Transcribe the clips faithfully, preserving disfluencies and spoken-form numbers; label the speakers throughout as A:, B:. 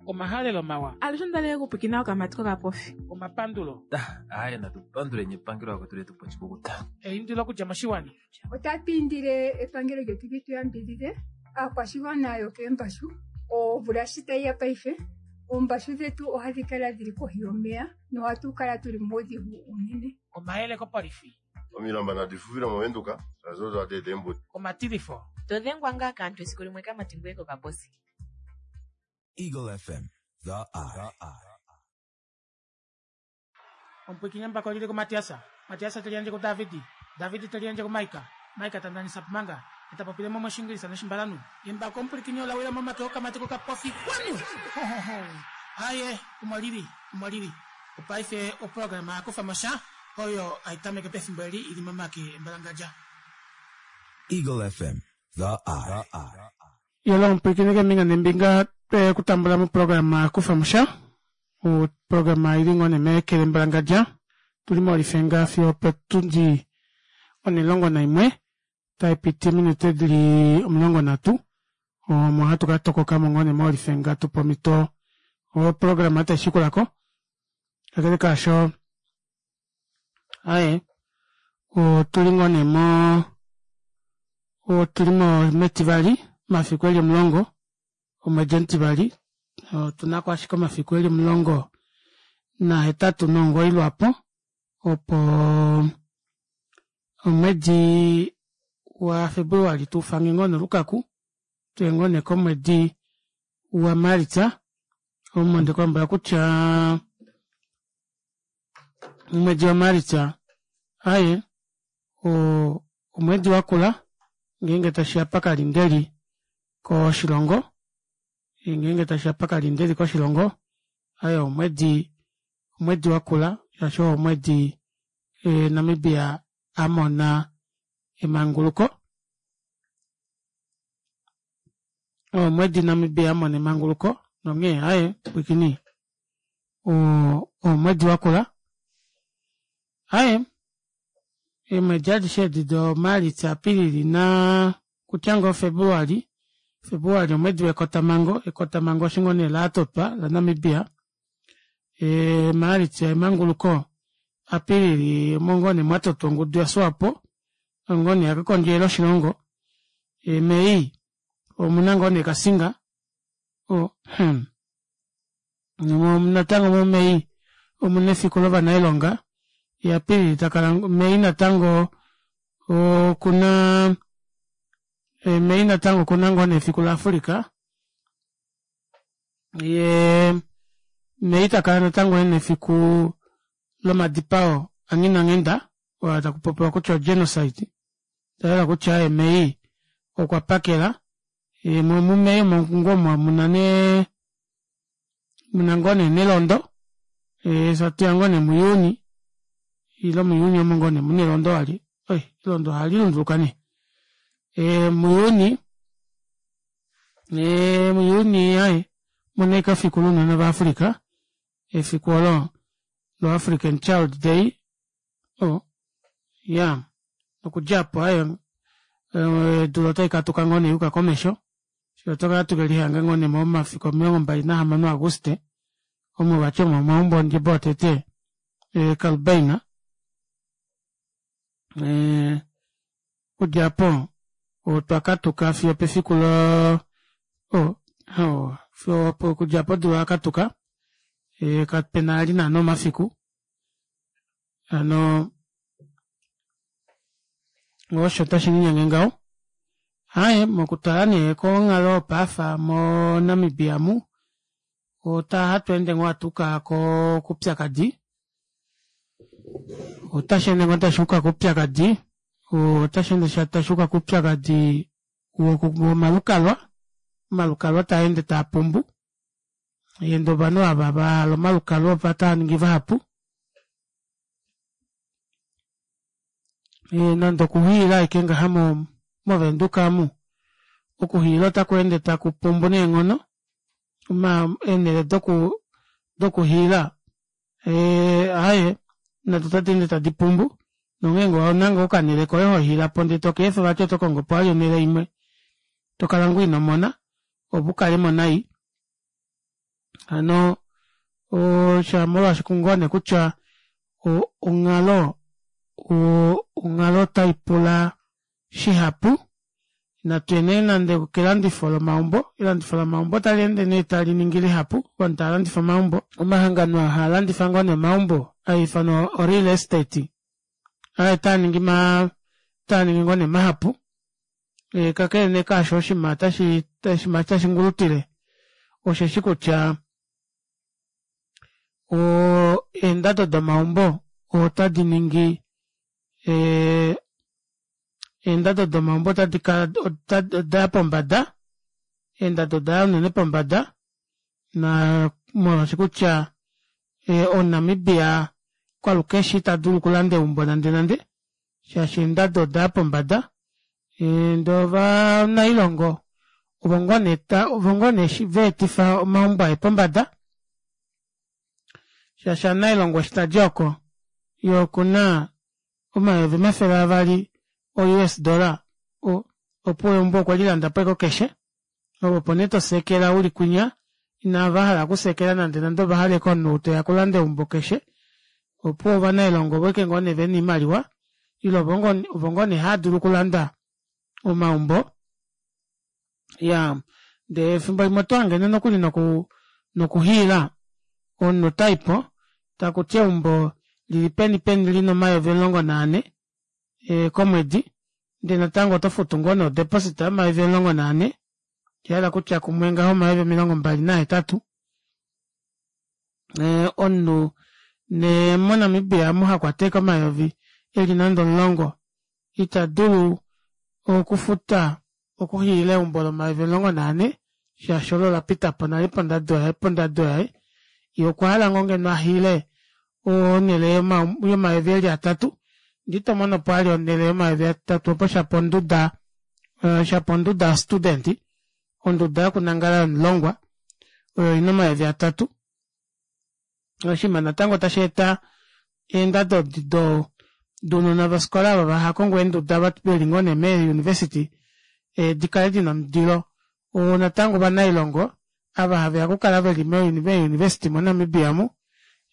A: Omahalelo mawa.
B: Alushe ondalele okupwiikina okamati kokapofi.
A: Omapandulo.
C: Aaye natu panduleni epangelo lakwetu letu oshikukuta.
A: Eindilo okudja moshiwana.
D: Otatu indile epangelo lyetu li tu yambidhidhe aakwashigwana yokeembashu omvula shi tayi ya paife oombashu dhetu ohadhi kala dhili kohi yomeya nohatu kala tuli muudhigu uunene.
A: Omayele kopolifi.
E: Omilamba nadi fufile movenduka shaashi odo hadi eta eembudi.
A: Omatilifo.
F: To dhengwa ngaa kaantu esiku limwe kamati ngoye kokaposi.
G: Eagle F M, The Eye.
A: Omupwikinye mbako lili kuMatiasa. Matiasa teli yandje kuDavidi. Davidi teli yandje kuMaika. Maika tandanisa pumanga. Etapopile mo moshingilisa noshimbalanu. Embako omupwikinye olawila momake okamati kokapofi. Wanu! Aye, omo lili, omo lili. Opaife oprograma yakufa mosha oyo aitameke pefimbo eli ili momake embalangadja.
G: Eagle F M, The Eye.
A: Yolo omupwiikini kembinga nembinga kutambula moprograma yakufa musha oprograma ili ngoo nemekele mbalangadja tuli molifenga fiyo opotundi onilongo naimwe taipiti ominute dili omulongo nhatu omo hatu katokokamo ngoo nee molifenga tupe omito oprograma taishikulako kakele kaasho aaye otuli ngoo nee moo otuli metivali omafiku eli omulongo omwedi omutivali otunako ashike omafiku eli omulongo nahetatu nomugoyi lwaapo opo omwedi wa februali tuufange ngoo nolukaku tuye ngoo nee komwedi wa maalitsa omo ndekulombwela kutya omwedi wa maalitsa aaye omwedi wakula ngeenge tashiya pakalindeli koshilongo ngeenge tashiya pakalindeli koshilongo aaye omwedi omwedi wakula shaashi oo omwedi Namibia amona emanguluko omwedi Namibia amona emanguluko nonghee aaye pwiikini oo omwedi wakula aaye eemwedi adishe edi do maalitsa apilili naa kutya ngoo februali februali omwedi wekotamango ekotamango eshi ngoo nee latotwa la Namibia maalitsa emanguluko apilili omo ngoo nee mwatotwa ongudu ya swapo oyo ngoo nee yakakondjelela oshilongo may omuna ngoo nee cassinga hmm natango mo may omuna efiku lovanailonga yee apilili takala may natango okuna may natango okuna ngoo nee efiku la africa yee may takala natango ena efiku lomadipao anghinanghenda oo takupopiwa kutya o genocide oshayela kutya may okwa pakela mu may omo ngoo muna nee muna ngoo nee nelondo fyee hatuya ngoo nee mu juni ile mu juni omo ngoo nee muna elondo vali oi elondo ohalilunduluka nee mujuni mujuni aaye omuna ashike efiku lounona va africa efiku oolo lo african child day iyaa nokudja aapo aaye odula otaikatuka ngoo nee yuuka komesho fyee otwakala tukelihanga ngoo nee momafiku omilongo mbali nahamano a auguste omo vati omo mwaumbwa ondjebo yotete kalubaina okudja aapo otwa katuka fiyo opefiku lo okudja aapo odula oyakatuka kapena vali naana omafiku hano osho tashilinyenge ngaho aaye mokutala nee konghalo yopaife mo namibia omu ohatweende ngoo hatuuka koupyakadi otasheende ngoo tashuuka koupyakadi otasheende tashuuka koupyakadi womalukalwa omalukalwa taende taapumbu ndee ovanhu ava vahala omalukalwa otavaningi vahapu nande okuhiila ashike ngaha movenduka omu okuhiila ota kweende takupumbu neenghono eenele dokuhiila aaye nado ota deende tadi pumbu nonghee ngee ouna ngoo okanele koye hohiilapo ndee tokeefa vati oto kongopo vali onele imwe tokala ngoo inomona ove ukalemo nai Hano oo molwaashi ngoo neekutya onghalo onghalo otaipula shihapu natuye nee nande okelandifo lomaumbo elandifo lomaumbo ota leende nee taliningi lihapu ovanhu tavalandifa omaumbo omahangano aa haalandifa ngoo nee omaumbo haifanwa o real estate aaye otaaningi maa otaaningi ngoo nee mahapu kakele nee kaasho oshinima tashi ngulutile osheshi kutya oo eendado domaumbo ota diningi ee eendado domaumbo ota odaya pombada eendado odaya unene pombada naa molwaashi kutya omunamibia kwalukeshe itadulu okulanda eumbo nande nande shaashi eendado odaya pombada ndee ovanailongo ovo ngoo nee ovo ngoo nee vaetifa omaumbo aye pombada shaashi omunailongo eshi tadi oko yee okuna omayovi omafele avali o us dollar opuwo eumbo okwelilandapo ashike o cash ove opo nee toseekela uli kwinya inavahala okuseekela nande nande ovahala ashike omunhu ou teya okulanda eumbo keshe opuwo ovanailongo ovo ashike ngoo nee vena oimaliwa ile ovo ngoo nee haadulu okulanda omaumbo iyaa ndee efimbo limwe otohange nokuli nokuhiila omunhu otaipo takuti eumbo lili peni peni lina omayovi omulongo naanhe komwedi ndee natango otofutu ngoo nee odeposit yomayovi omulongo naanhe oshahala kutya kumwe ngaho omayovi omilongo mbali nahetatu omunhu nee mo namibia omu hakwata ashike omayovi eli nande omulongo itadulu okufuta okuhiila eumbo lomayovi omulongo naanhe shaashi olo olapitapo nale pondado yaye yee okwahala ngoo ngeno ahiile onele yomayovi eli atatu ndee itomonopo vali onele yomayovi atatu opo shapo onduda shapo onduda yo student onduda yokunangala yomulongwa oyo ina omayovi atatu oshinima natango tasheeta eendado dounona vofikola ava vahakongo eenduda veli ngoo nee mee university dikale dina omundilo natango ovanailongo ava haveya okukala veli mee university mo namibia omu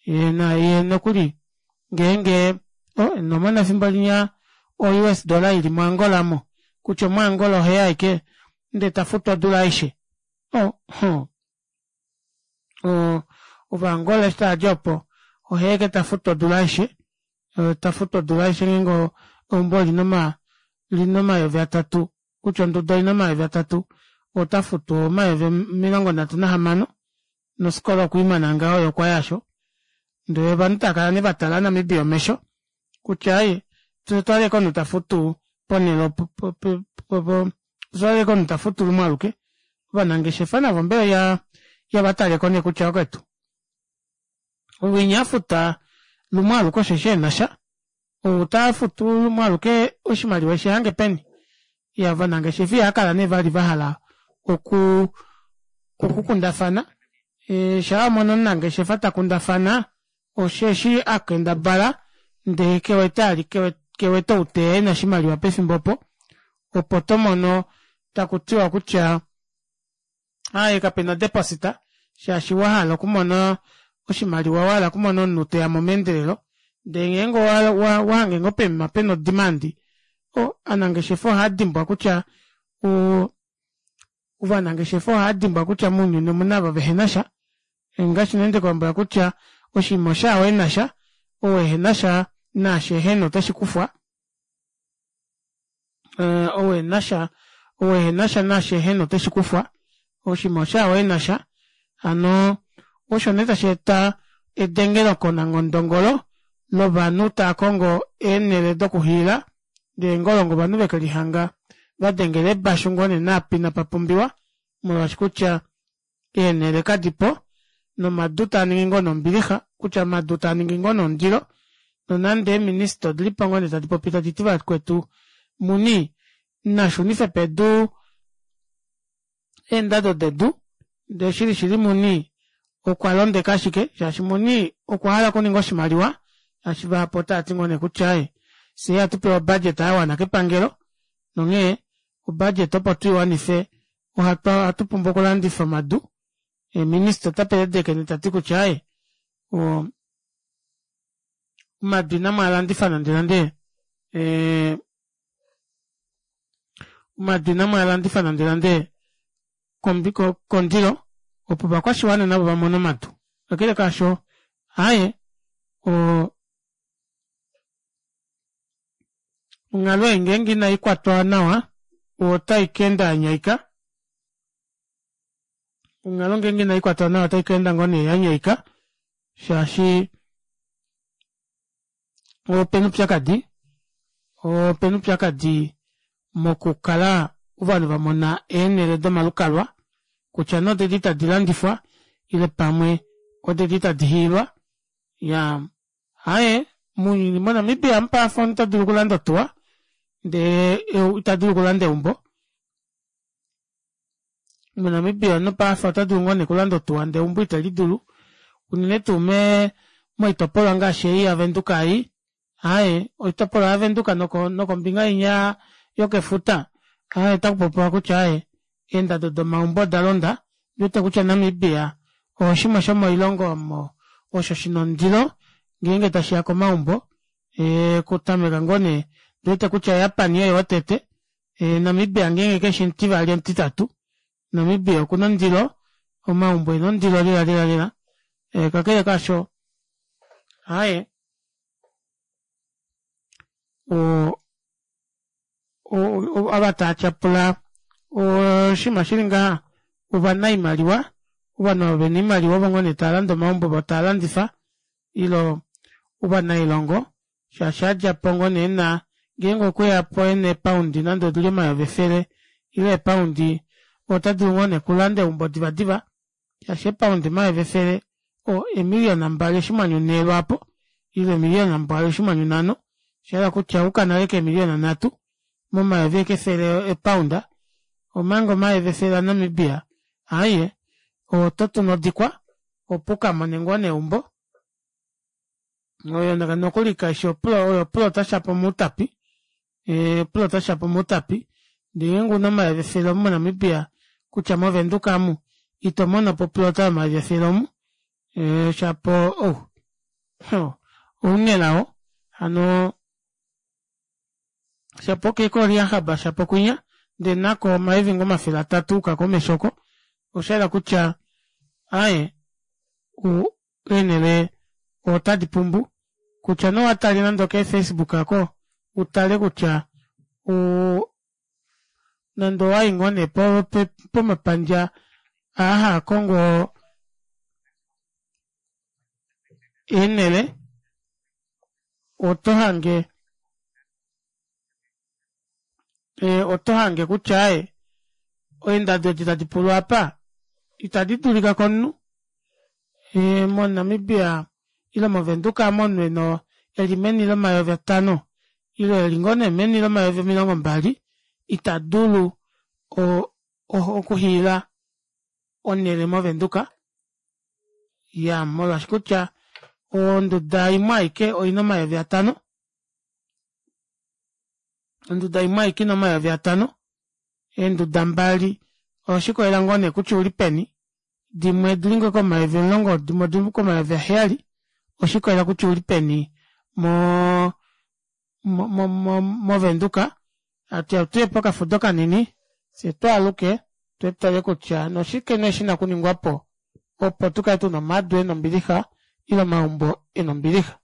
A: yee nokuli ngeenge oh inomona efimbo linya o us dollar ili mo angola aamo kutya omu angola oheya ashike ndee tafutu odula aishe oh oo ova angola eshi taadi opo oheya ashike tafutu odula aishe tafutu odula aishe ngeenge eumbo olina omayovi atatu kutya onduda oina omayovi atatu otafutu omayovi omilongo nhatu nahamano nofikola okweimana ngaho yee okwaya aasho ndee ovanhu taakala nee vatala namibia omesho kutya aaye fyee otwahala ashike omunhu tafutu ponele opo otwahala ashike omunhu tafutu lumwe aluke ovanangeshefa navo mbela ihavataleko nee kutya vakwetu ouwinya afuta lumwe aluke osheshi enasha ou tafutu lumwe aluke oshimaliwa eshihange peni iyaa ovanangeshefa ihaakala nee vali vahala okuu okukundafana shaa wamono omunangeshefa takundafana osheshi akendabala ndee kewete vali kewete ou teya ena oshimaliwa pefimbo opo opo tomono takutiwa kutya aaye kapena odeposit shaashi wahala okumona oshimaliwa wahala okumona omunhu teyamo meendelelo ndee ngeenge owahange ngoo poima pena odemand oo ovanangeshefa ohaadimbwa kutya oo ovanangeshefa ohaadimbwa kutya mounyuni omuna ava vehenasha ngaashi nee ndekulombwela kutya oshinima oshaao enasha ou ehenasha naashi ehena oteshikufwa ou enasha ou ehenasha naashi ehena oteshikufwa oshinima oshaao enasha hano osho nee tasheeta edengelo ngondongolo lovanhu taakongo eenele dokuhiila ndee ngolongo ovanhu vekelihanga vadengela eebashu ngoo nee naapo inapapumbiwa molwaashi kutya eenele kadipo nomadu taaningi ngoo nee ombilixa kutya omadu taaningi ngoo nee ondilo nonande eeminister odilipo ngoo nee tadi popi taditi vakwetu muni nashunife pedu eendado dedu ndee shili shili muni okwalondeka ashike shaashi muni okwahala okuninga oshimaliwa shaashi vahapu otaati ngoo nee kutya aaye fyee ihatupewa obudget yawana kepangelo nonghee o budget opo tuiwanife ohatu pumbwa okulandifa omadu Minister ota peledeke nee tati kutya aaye oo omadu ina mwaalandifa nande nande ee omadu ina mwaalandifa nande nande kondilo opo ovakwashiwana navo vamone omadu kakele kaasho aaye oo onghalo ei ngeenge ina ikwatwa nawa ota ikaenda yanyaika onghalo ngenge ina ikwatwa nawa ota ikaenda ngoo nee yanyaika shaashi opena oupyakadi opena oupyakadi mokukala ovanhu vamona eenele domalukalwa kutya nee odedi tadi landifwa ile pamwe odedi tadi hiilwa iyaa aaye mounyuni mo namibia omu paife omunhu otadulu okulanda otuwa ndee itadulu okulanda eumbo mo namibia omunhu paife otadulu ngoo nee okulanda otuwa ndee eumbo itelidulu unene tuu mee moitopolwa ngaashi ei ya venduka ei aaye oitopolwa ya venduka nokombinga inya yokefuta aaye otakupopiwa kutya aaye eendado domaumbo odalonda ondiwete kutya namibia oshimwe shomoilongo omo osho shina ondilo ngeenge tashiya komaumbo ee okutameka ngoo nee ondiwete kutya japan oye wotete namibia ngeenge keshi omutivali omutitatu namibia okuna ondilo omaumbo ena ondilo lela lela lela kakele kaasho aaye oo ava taatyapula oshinima shili ngaha ovanaimaliwa ovanhu ava vena oimaliwa ovo ngoo nee taalande omaumbo voo taalandifa ile ovanailongo shaashi adjapo ngoo nee ena ngeenge okweyapo ena ee pound nande odili omayovi efele ile ee pound otadulu ngoo nee okulanda eumbo diva diva shaashi ee pound omayovi efele oo eemiliona mbali oshinghwanyu nhee lwaapo ile eemiliona mbali oshinghwanyu nhano oshahala kutya oyuuka nale keemiliona nhatu momayovi ashike efele ee pound omanga omayovi efele a namibia aaye ototu nodikwa opo ukamone ngoo nee eumbo oyo nokuli kaifi oyo oplota shapo moutapi oplota shapo moutapi ndee ngeenge ouna omayovi efele omu mo namibia kutya mo venduka aamu itomonopo oplota yomayovi efele omu shapo ou ounelao hano shapo ouke ko rehob shapo kwinya ndee nako omayovi ngoo omafele atatu ayuka komesho oko oshayela kutya aaye eenele ota dipumbu kutya nee owatale nande okee facebook aako utale kutya oo nande owayi ngoo nee pomapandja aa haakongo eenele otohange otohange kutya aaye eendado edi tadipulwa aapa ita didulika komunhu mo namibia ile movenduka aamo omunhu ena eli meni lomayovi atano ile eli ngoo nee meni lomayovi omilongo mbali ita dulu okuhiila onele movenduka iyaa molwaashi kutya onduda imwe aike oina omayovi atano onduda imwe aike oina omayovi atano eenduda mbali oshikolela ngoo nee kutya ouli peni dimwe odili ngoo komayovi omulongo dimwe odili komayovi aheyali oshikolela kutya ouli peni moo mo- mo movenduka hatuya tuye pokafudo kanini fyee twaaluke fyee tutale kutya oshike nee shina okuningwapo opo tukale tuna omadu ena ombilixa ile omaumbo ena ombilixa.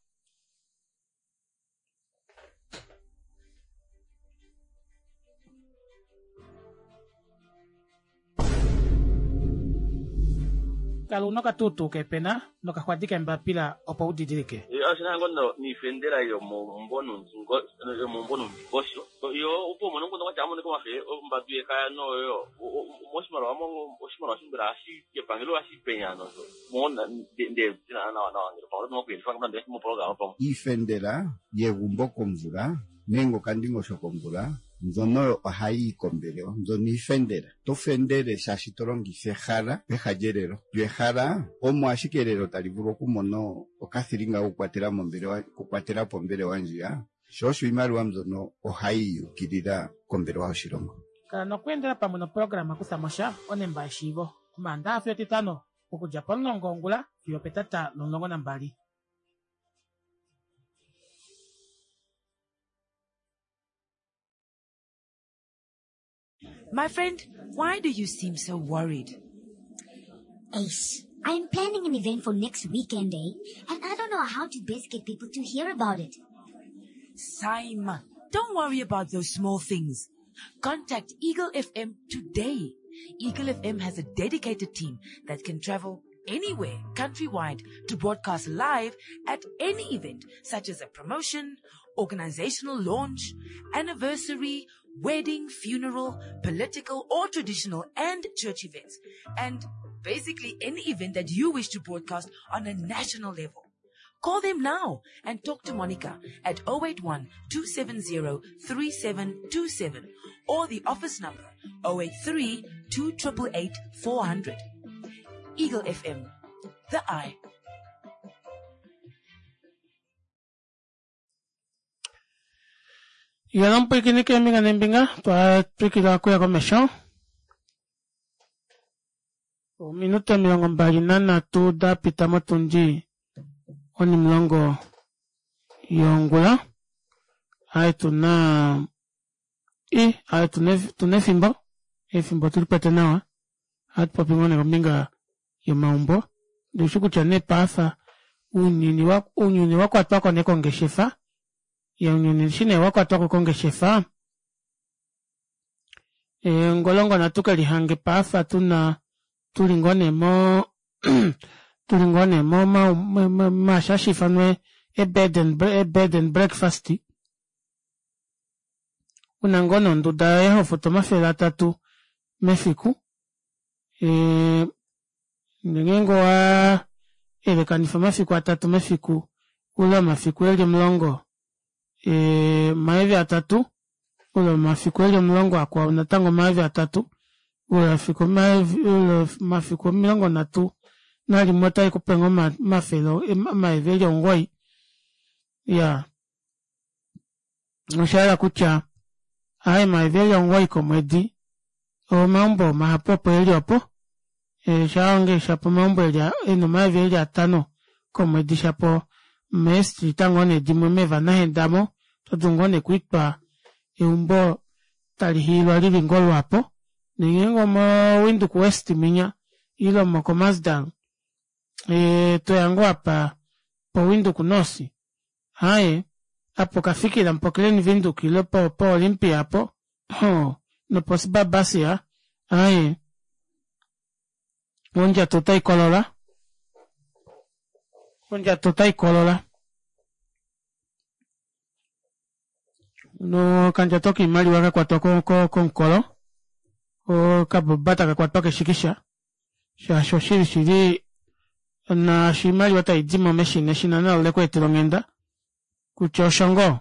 A: Kala una okatuutuu keepena nokaxwadi keembapila opo udidilike.
H: Niifendela yomomumvo nuundingosho yo opo umone nguno kwatya amonike omafe ombatu yekaya noyo moshimaliwa oshimaliwa shimbela epangelo ohashi penya nawa nawa ngele pamwe
I: Iifendela yegumbo komvula nenge okandingosho komvula mbyono oyo ohayi yi kombelewa mbyono iifendela to fendele shaashi to longitha ehala peha lyelelo lyo ehala omo ashike elelo tali vulu okumona okathilinga kokukwatela mombelewa okukwatela po ombelewa ndjiya sho osho iimaliwa mbyono ohayi yukilila kombelewa yoshilongo.
A: Kala nokweendela pamwe noprograma Kutha mo sha, onemba yeshiivo. Omaandaxa fiyo Etitano Okudja pomulongo wongula fiyo opetata lomulongo nambali.
J: My friend, why do you seem so worried?
K: Ace, I'm planning an event for next weekend, eh? And I don't know how to best get people to hear about it.
J: Saima, don't worry about those small things. Contact Eagle F M today. Eagle F M has a dedicated team that can travel anywhere countrywide to broadcast live at any event, such as a promotion, organizational launch, anniversary, wedding, funeral, political or traditional and church events, and basically any event that you wish to broadcast on a national level. Call them now and talk to Monica at oh eight one, two seven zero, three seven two seven or the office number oh eight three, two triple eight, four hundred. Eagle F M, the eye.
A: Yala mpwikini keembinga neembinga, twatwikila okuya komesho. Ominute omilongo mbali nanhatu dapita motundi onimulongo yongula. Aye tuna i aye tuna tuna efimbo, efimbo tulikwete nawa. Ohatu popi ngoo nee kombinga yomaumbo. Ndishi kutya nee paafa ounyuni wa, ounyuni wakwatwako nee kongeshefa. Ounyuni eshi nee wakwatwako kongeshefa, ngolongo natu kelihange paafa tuna tuli ngoo nee mo tuli ngoo nee mo maasho hashiifanwa e bed and e bed and breakfast. Una ngoo nee onduda yoye hofutu omafele atatu mefiku. Ee ngeenge owa elekanifa omafiku atatu mefiku ule omafiku eli omulongo ee omayovi atatu ule omafiku eli omulongo akwao natango omayovi atatu ule omafiku omilongo nhatu nalimwe otaikupe ngoo omafele omayovi eli omugoyi. Iyaa oshahala kutya aaye omayovi eli omugoyi komwedi omaumbo mahapu opo eli opo shaonge shapo omaumbo ena omayovi eli atano komwedi shapo mee street ngoo nee dimwe meeVanahenda aamo otodulu ngoo nee okwiitwa eumbo tali hiilwa lili ngoo lwaapo ngeenge omo Windhoek West minya ile mo Khomasdal ee toya ngoo apa po Windhoek North aaye apo okafikila po Klein Windhoek ile po Olympia aapo hoo nopo Sibabasia aaye ondjato otaikolola ondjato otaikolola nokandjato koimaliwa kakwatwa komukolo okaboba takakwatwa keshikisha shaashi oshili shili naashi oimaliwa taidimo meshina eshina nalo lekweetela onghenda kutya osho ngoo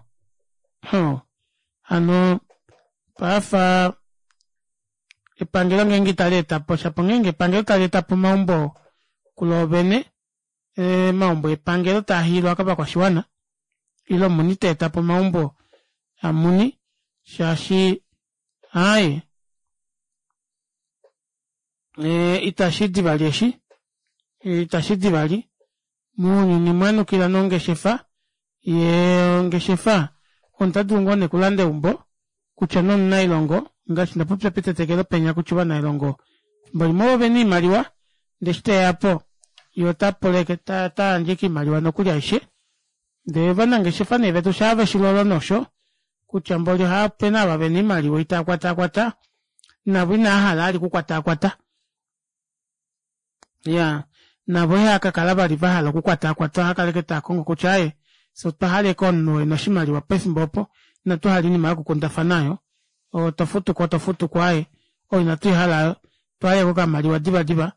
A: hano paafa epangelo ngeenge itali etapo shapo ngeenge epangelo tali etapo omaumbo kuloovene omaumbo epangelo taahiilwa kovakwashiwana ile muni teetapo omaumbo amuni shaashi aaye itashidi vali eshi itashidi vali mounyuni mwanukila nongeshefa yee ongeshefa omunhu otadulu ngoo nee okulanda eumbo kutya nee omunailongo ngaashi ndapopya petetekelo penya kutya ovanailongo efimbo limwe ovo vena oimaliwa ndee eshi teyapo yee otapula otayandje ashike oimaliwa nokuli aishe ndee ovanangeshefa nee vetu shaa veshilolo nosho kutya mboli opena ava vena oimaliwa itaakwatakwata navo inaahala vali okukwatakwata iyaa navo ihaakakala vali vahala okukwatakwata ohaakala ashike taakongo kutya aaye fyee otwahala ashike omunhu ena oshimaliwa pefimbo opo inatuhala oinima yokukundafana aayo tofutuko tofutuko aaye oyo inatuihala aayo otwahala ashike okamaliwa diva diva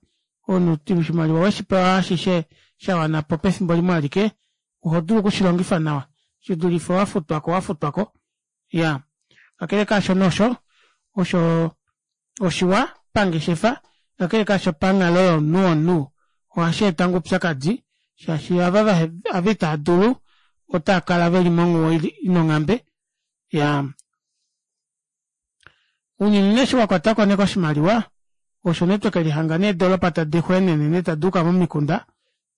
A: omunhu oshimaliwa weshipewa ashishe shawanapo pefimbo limwe alike ohodulu okushilongifa nawa shidulife wafutwako wafutwako iyaa kakele kaasho osho osho oshiwa pangeshefa kakele kaasho panghalo yomunhu womunhu ohasheeta ngoo oupyakadi shaashi ava ava itaadulu otaakala veli monghuwo ina onghambe iyaa ounyuni nee eshi wakwatwako nee koshimaliwa Osho nee twekelihanga nee eedoropa tadi xweenene nee taduuka momikunda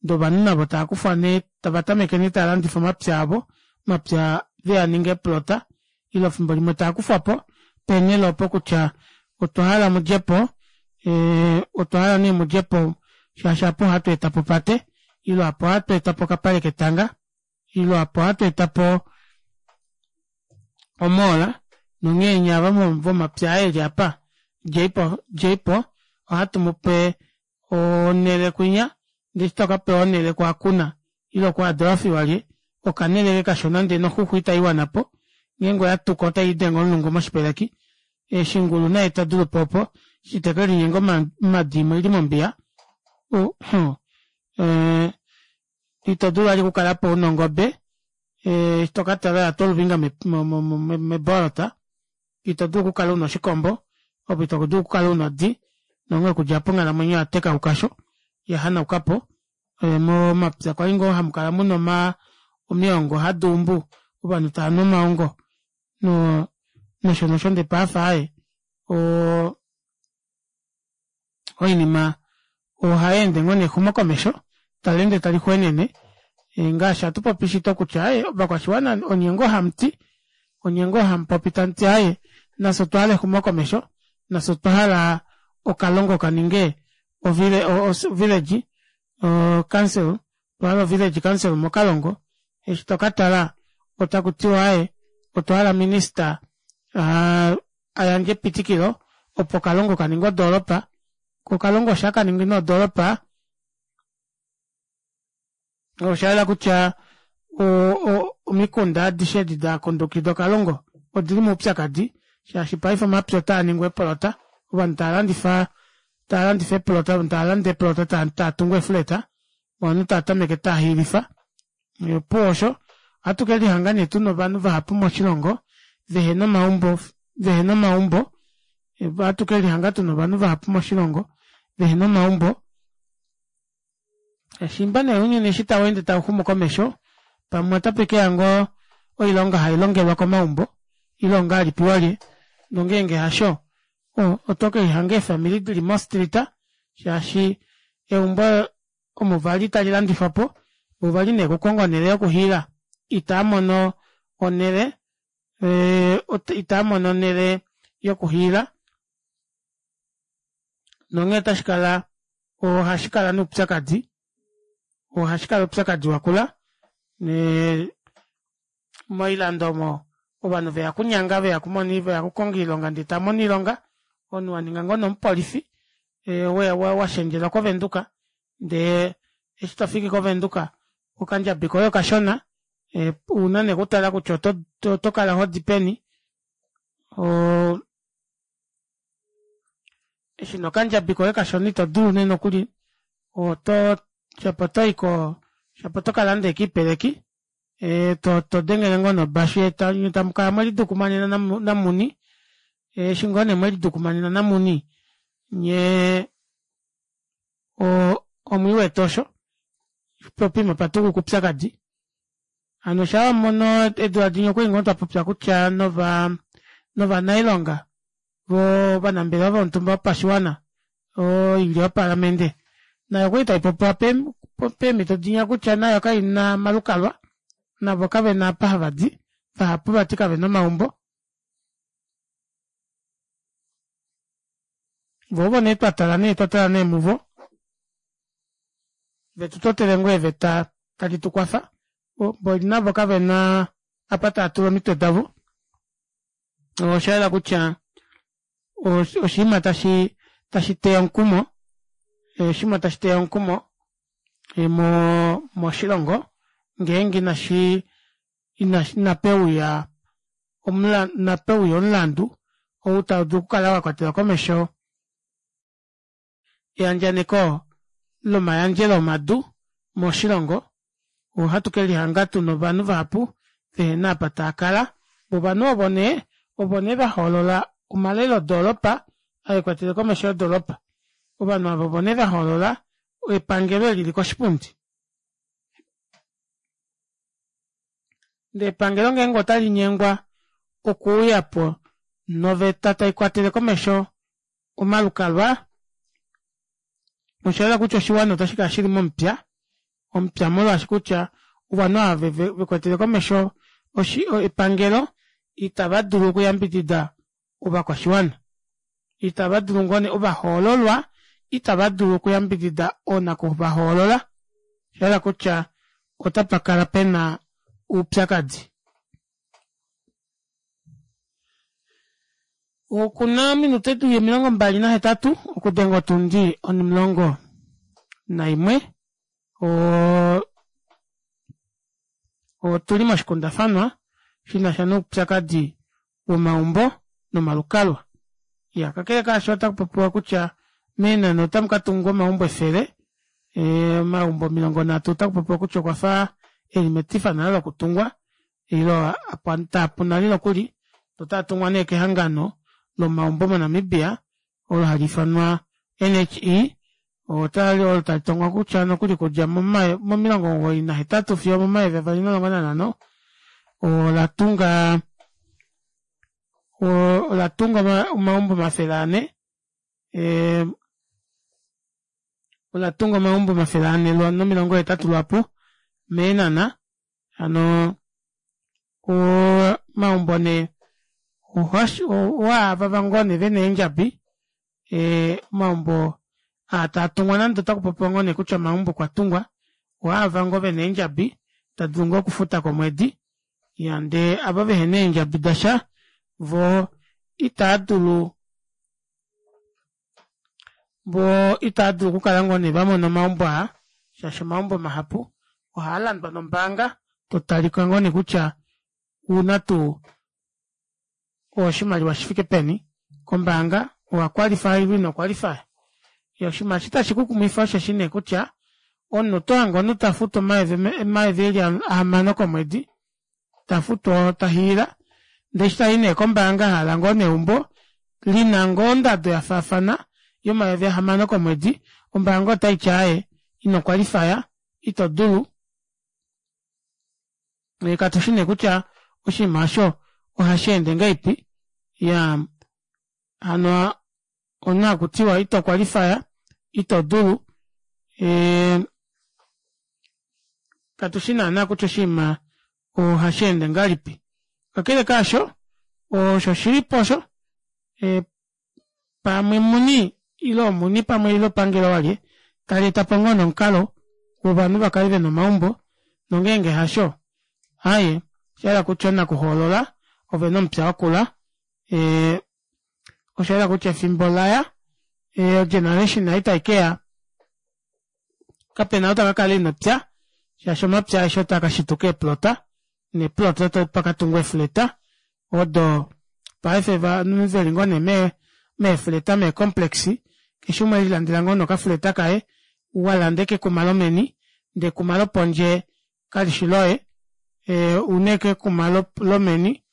A: ndee ovanhu navo taakufwa nee tava tameke nee taalandifa omapya avo omapya veaninga eeplota ile efimbo limwe taakufwapo peenele opo kutya otwa hala mudjepo ee otwahala nee mudjepo shaashi aapa ohatu etapo opate ile aapa ohatu etapo okapale ketanga ile aapa ohatu etapo o mall nonghee nyee ava vomapya aa eli aapa djeipo ohatu mupe onele kwinya ndee eshi tokapewa onele ku hakuna ile ku adolfi walye okanele ashike kashona ndee noxuxwa ita iwanapo ngeenge oyatuka otayiidenge omulungu moshipeleki shingulu naye itadulupo opo eshi tekelinyenga omadi imwe oili mombiya ee itodulu vali okukalapo una ongobe eshi tokatala oyatwa oluvinga meboolota itodulu okukala una oshikombo ove itodulu okukala una odi nonghee okudja aapo onghalamwenyo oyatekauka aasho oyahanaukapo momapya kwali ngoo hamukala muna omaa omyoongo haduumbu ovanhu taanu omaongo noo nosho nosho ndee paife aaye oo oinima ohayeende ngoo nee exumokomesho taleende talixweenene ngaashi hatupopi shito kutya aaye ovakwashiwana onye ngoo hamuti onye ngoo hamupopi tamuti aaye nafye otwahala exumokomesho nafye otwahala okalongo kaninge o village council otwahala o village council mokalongo eshi tokatala otakutiwa aaye otwahala minister aa ayandje epitikilo opo okalongo kaninge odoropa koo okalongo eshi akaningi nee odoropa oshayela kutya o- o omikunda adishe edi dakundukida okalongo odili moupyakadi shaashi paife omapya otaaningwa eepolota ovanhu taalandifa taalandifa eepolota ovanhu tavalande eepolota taatungu ee flat ovanhu taatameke taahiilifa opuwo osho ohatu kelihanga nee tuna ovanhu vahapu moshilongo vehena omaumbo vehena omaumbo ohatu kelihanga tuna ovanhu vahapu moshilongo vehena omaumbo shiimba nee ounyuni eshi taweende tauxumu komesho pamwe otapekeya ngoo oilonga hailongelwa komaumbo ile ongahelipi walye nongenge hasho otokelihanga eefamili dili mo street shaashi eumbo omo vali talilandifwapo voo vali nee okukonga onele yokuhiila itaamono onele itaamono onele yokuhiila nonghee otashikala ohashikala nee oupyakadi ohashikala oupyakadi wakula nee moilando omo ovanhu veya okunyanga veya okukonga oilonga ndee tavamono oilonga omunhu waninga ngoo nee omupolifi washendjelwa ko venduka ndee eshi tofiki ko venduka okandjabi koye okashona ouna nee okutala kutya otokala hodi peni oo eshi nee okandjabi koye kashona itodulu nee nokuli oto shapo otoyi koo shapo otokalanda ashike oipeleki todengele ngoo nee obashu nyee tamukala mwelidukumanena namuni eshi ngoo nee mwelidukumanena namuni nyee omwiiwete osho poo poima opatukuka oupyakadi hano shaa wamono eedula dinya okwali ngoo twapopya kutya nova novanailonga voo ovanambelewa vomutumba wopashiwana oilyo yopalamende nayo okwali taipopiwa peemito dinya kutya nayo kaina omalukalwa navo kavena apa havadi vahapu vati kavena omaumbo voo ovo nee twatala nee twatala nee muvo vetutotele ngoo eeveta tadi tukwafa mboli navo kavena apa taatula omitwe davo oshayela kutya oshinima tashi tashiteya omukumo oshinima tashiteya omukumo moshilongo ngeenge inashi inapeuya omulandu ou taudulu okukala wakwatela komesho eyandjaneko lomayandjelo omadu moshilongo ohatu kelihanga tuna ovanhu vahapu vehena apa taakala ovanhu ovo nee ovo nee vahoolola omalelo odoropa aakwatele komesho yodoropa ovanhu aava ovo nee vahoolola epangelo eli lili koshipundi ndee epangelo ngeenge otalinyengwa okuuyapo noveta taikwatele komesho omalukalwa Osha yela kutya oshiwana otashikala shili momupya omupya molwaashi kutya ovanhu ava vekwetele komesho epangelo itava dulu okuyambidida ovakwashiwana. Itava dulu ngoo nee ovahoololwa itava dulu okuyambidida oonakuvahoolola. Osha yela kutya otapakala pena oupyakadi. Okuna ominute dili omilongo mbali nahetatu okudenga otundi onimulongo naimwe. Oo otuli moshikundafanwa shinasha noupyakadi womaumbo nomalukalwa. Iya kakele kaasho otakupopiwa kutya meenhana otamu katungwa omaumbo efele omaumbo omilongo nhatu otakupopiwa kutya okwafa eli metifa nale lokutungwa ile taapu nale nokuli otaatungwa nee kehangano lomaumbo mo Namibia olo hali ifanwa N H E olo talitongwa kutya nokuli okudja momilongo omugoyi nahetatu fiyo omomayovi avali nomulongo nanhano olatunga olatunga omaumbo omafele anhe olatunga omaumbo omafele anhe nomilongo hetatu lwaapo meenhana. Hano omaumbo nee owaava ngoo nee vena eendjabi omaumbo aa taatungwa nande otakupopiwa ngoo nee kutya omaumbo okwatungwa ohaava ngoo vena eendjabi tadulu ngoo okufuta komwedi. Iya ndee ava vehena eendjabi dasha voo itaadulu voo itaadulu okukala ngoo nee vamona omaumbo aa shaashi omaumbo mahapu ohaalandwa nombaanga totalika ngoo nee kutya ouna tuu oshimaliwa shifike peni kombaanga owa qualify ile ino qualify. Oshinima eshi tashi kukumwifa osheshi nee kutya omunhu otohange omunhu tafutu omayovi eli ahamano komwedi tafutu tahiila ndee eshi tayi nee kombaanga ahala ngoo nee eumbo lina ngoo ondado yafaafana yomayovi ahamano komwedi ombaanga otaiti aaye ino qualify ito dulu. Katushi nee kutya oshinima aasho ohasheende ngahelipi. Iyaa hano omunhu akutiwa ito qualify ito dulu katushi naana kutya oshinima ohasheende ngahelipi. Kakele kaasho osho shilipo osho pamwe muni ile omuni pamwe ile epangelo walye taleetapo ngoo nee omukalo wovanhu vakale vena omaumbo nongenge hasho aaye oshayela kutya oonakuhoolola ovena omupya wakula oshayela kutya efimbo olaya o generation ei taikeya kapena ou takakala ena epya shaashi omapya aeshe otaakashituka eeplota neeplota otapakatungwa eefleta odo paife ovanhu veli ngoo nee meefleta mee complex keshe umwe elilandela ngoo nee okafleta kaye walanda ashike ekuma lomeni ndee ekuma lopondje kalishi loye una ashike ekuma lomeni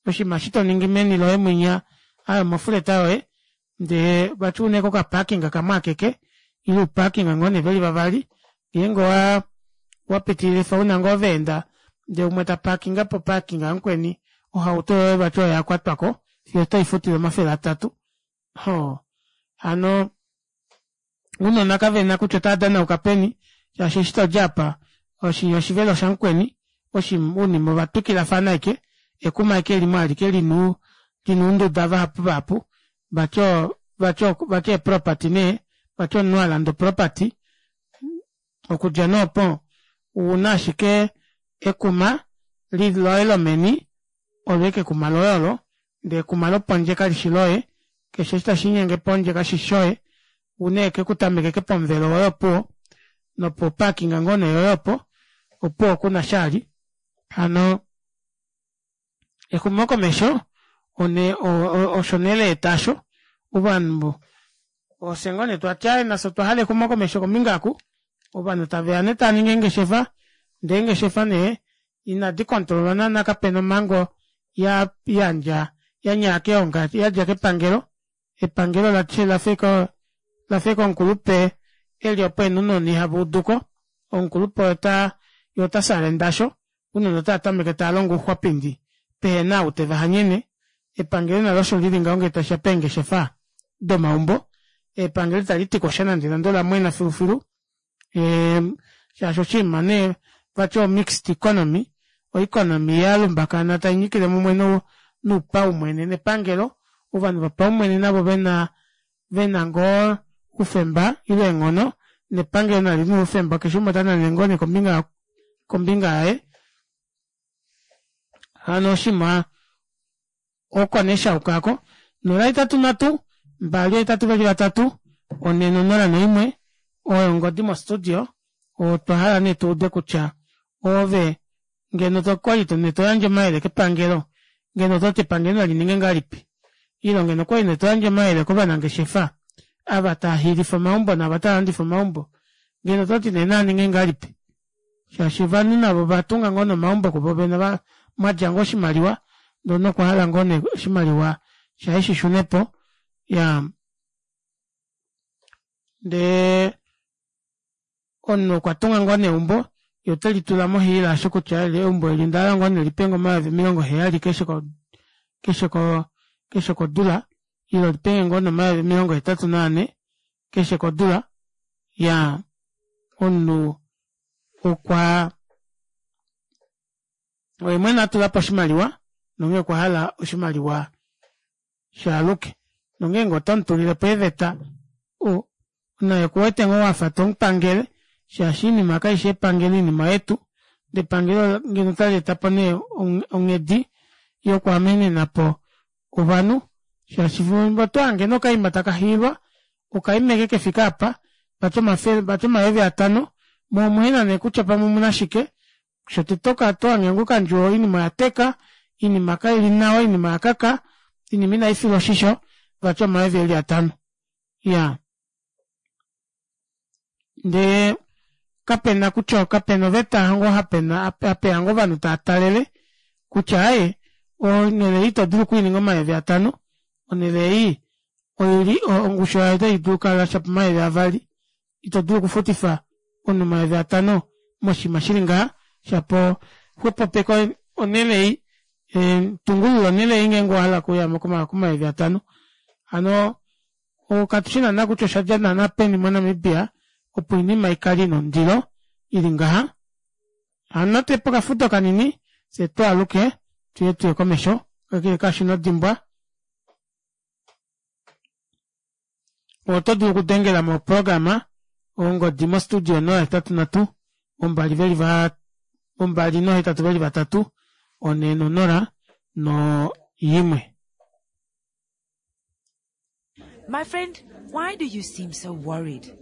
A: oshinima eshi toningi meni loye mwinya aaye omofleta yoye ndee vati una ashike oka parking kamwe akeke ile uuparking ngoo nee veli vavali ngeenge wapitililifa una ngoo vaenda ndee umwe taparkinge po parking yamukweni ohauto yoye vati oyo yakwatwako fiyo otoifutile omafele atatu. Hoo hano ounona kavena kutya otaadanauka peni shaashi eshi todi aapa oshivelo oshamukweni ounima ovatwikilafana ashike ekuma ashike limwe alike lina ounduda vahapu vahapu vati vati eeproperty nee vati omunhu alanda oproperty okudja nee opo ouna ashike ekuma loye lomeni olo ashike ekuma loye olo ndee ekuma lopondje kalishi loye keshe eshi tashiinyenge pondje kashishi shoye ouna ashike okutameka ashike pomuvelo woye opuwo nopo parking ngoo nee yoye opo opuwo kunasha vali. Hano exumokomesho osho nee laeta aasho ovanhu ofye ngoo nee twati aaye nafye otwa hala exumokomesho kombinga oku ovanhu taveya nee taaningi eengeshefa ndee eengeshefa nee inadi controlwa naana kapena omhango yayandja yanyaya keonga yadja kepangelo. Epangelo lafa ashike omukulupe eli opo ena ounona ihavauduko omukulupe yee ota salenda aasho ounona otavatameke tavalongo ouxwapindi pehena ou tevahanyene. Epangelo nalo osho lili ngaho ngee tashiya peengeshefa domaumbo. Epangelo italiti kosha nande nande olamwena filufilu shaashi oshiima nee vati o mixed economy o economy yalumbakana tainyikile mumwe noupaumwene nepangelo ovanhu vopaumwene navo vena vena ngoo oufemba ile eenghono nepangelo nalo lina oufemba keshe umwe otanane ngoo nee kombinga kombinga yaye hano oshiima oko nee shayuka aako nola hetatu nhatu mbali ohetatu veli vatatu onhe nonola noimwe oyo ongodi mo studio otwa hala nee tuude kutya ove ngeno okwali nee toyandje omayele kepangelo ngeno ototi epangelo nalininge ngahelipi ile ngeno okwali nee toyandje omayele kovanangeshefa ava taahiilifa omaumbo naava tavalandifa omaumbo ngeno ototi nee naaninge ngahelipi shaashi ovanhu navo ovatunga ngoo nomaumbo kuvo vene mwadja ngoo oshimaliwa ndee omunhu okwahala ngoo nee oshimaliwa shaye shishunepo iyaa ndee omunhu okwatunga ngoo nee eumbo yee otelitula mohiila aasho kutya eumbo eli ondahala ngoo nee lipenge omayovi omilongo heyali keshe keshe keshe kodula ile lipenge ngoo nee omayovi omilongo hetatu naane keshe kodula iyaa omunhu okwa oye mwene atulapo oshimaliwa nonghee okwahala oshimaliwa shaaluke nongeenge otomutulilepo eeveta naye okuwete ngoo wafa tomupangele shaashi oinima kaifi yepangelo oinima oyetu ndee epangelo ngeno otaleetapo nee onghedi yokwaamenenapo ovanhu shaashi fimbo otohange nee okaima takahiilwa okaima ashike kefike aapa vati omafele vati omayovi atano moo omuhena nee kutya pamwe omuna shike shotete otohange ngoo okandjuwo oinima oyateka oinima kaili nawa oinima oyakaka oinima inaifilwa oshisho vati omayovi eli atano iyaa ndee kapena kutya kapena oveta ngoo hapena apeya ngoo ovanhu taatalele kutya aaye onele ei ito dulu okwiininga omayovi atano onele ei oili ongushu yayo otaidulu okukala shapo omayovi avali ito dulu okufutifa omunhu omayovi atano moshinima shili ngaha shapo xwepopeka onele ei tungulula onele ei ngeenge owahala okuya komayovi atano hano katushi naana kutya oshadja naana peni mo Namibia opo oinima ikale ina ondilo ili ngaha hano natuye pokafudo kanini fyee twaaluke tuye tuye komesho kakele kaasho inodimbwa oto dulu okudengela moprograma ongodi mo studio nola hetatu nhatu ombali veli va ombali nohetatu veli vatatu onhe nonola noyimwe.
J: My friend, why do you seem so worried?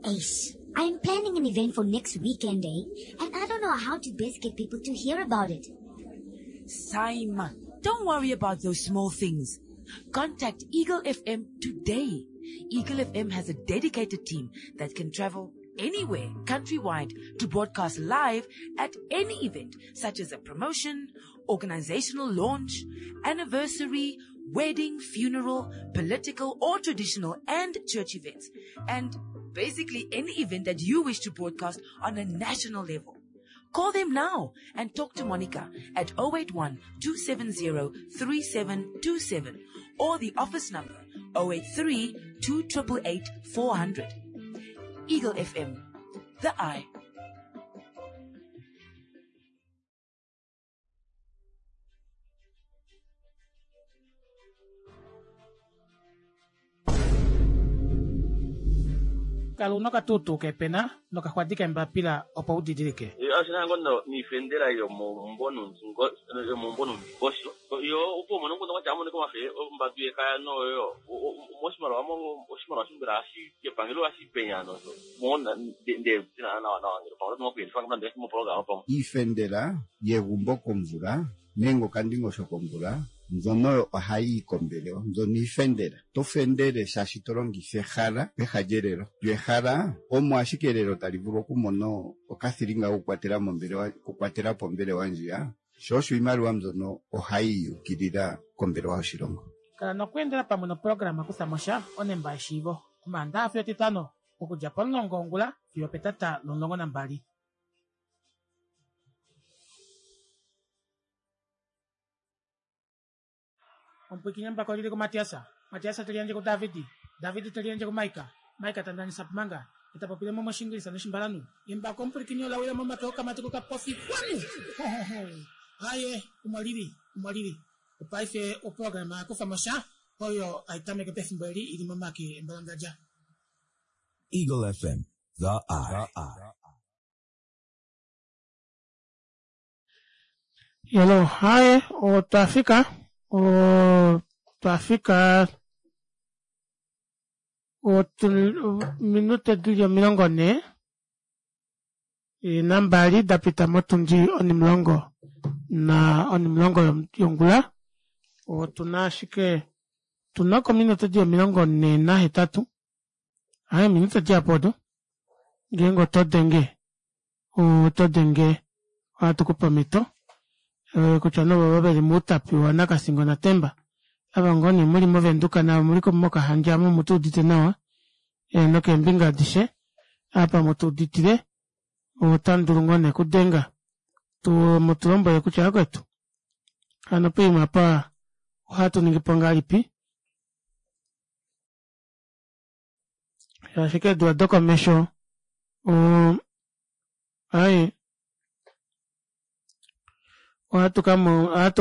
K: Ace, I'm planning an event for next weekend, eh? And I don't know how to best get people to hear about it.
J: Saima, don't worry about those small things. Contact Eagle F M today. Eagle F M has a dedicated team that can travel anywhere countrywide to broadcast live at any event, such as a promotion, organizational launch, anniversary, wedding, funeral, political or traditional and church events, and basically any event that you wish to broadcast on a national level. Call them now and talk to Monica at oh eight one, two seven zero, three seven two seven or the office number oh eight three, two triple eight, four hundred. Eagle F M, the eye.
A: Kala una okatuutuu kepena nokaxwadi kembapila opo udidilike.
H: Ashina ngono niifendela yomombo yomombo nomikosho yo opo mono ngono wacha amone komafe ombadu yekaya noyo moshimaliwa oshimaliwa shimbela ashi kepangelo ashi penyano mona nde na na na ngelo pamwe nokuyendifa ngomba mopologama pamwe
I: iifendela yegumbo komvula nenge okandingosho komvula mbyono ohayi yi kombelewa mbyono iifendela to fendele shaashi to longitha ehala peha lyelelo lyo ehala omo ashike elelo tali vulu okumona okathilinga kokukwatela mombelewa okukwatela po ombelewa ndjiya sho osho iimaliwa mbyono ohayi yukilila kombelewa yoshilongo.
A: Kala nokweendela pamwe noprograma kutha mosha onemba yeshiivo omaandaxa fiyo etitano okudja pomulongo wongula fiyo petata lomulongo nambali. Omupwikinyambako lili kuMatias. Matias te liyandje kuDavid. David teliyandje kuMaika, Maika tandanisa manga etapopile mo moshingilisa noshimbalanhu embako omupulikini olawila momake okamati kokapofi kwanu aye omolili omolili opaife oprograma yakufamo sha oyo aitameke pefimbo eli ili momake embalangadja.
G: Eagle F M, The Eye.
A: Yelo, haye, otwafika, otwafika ominute dili omilongo nhee nambali dapita motundi onimulongo na onimulongo yongula. Otuna ashike tuna kominute dili omilongo nhee nahetatu aaye ominute dihapu odo ngeenge oto denge oto denge ohatukupe omito kutya nee ovovo veli mOutapi waNakasingo naTemba ava ngoo nee muli movenduka naava muli mOkahandja omu mutuudite nawa nokeembinga adishe apa mutuuditile otamudulu ngoo nee okudenga mutulombwele kutya vakwetu hano poima apa ohatuningipo ngahelipi shaashi keedula dokomesho oo aaye ohatu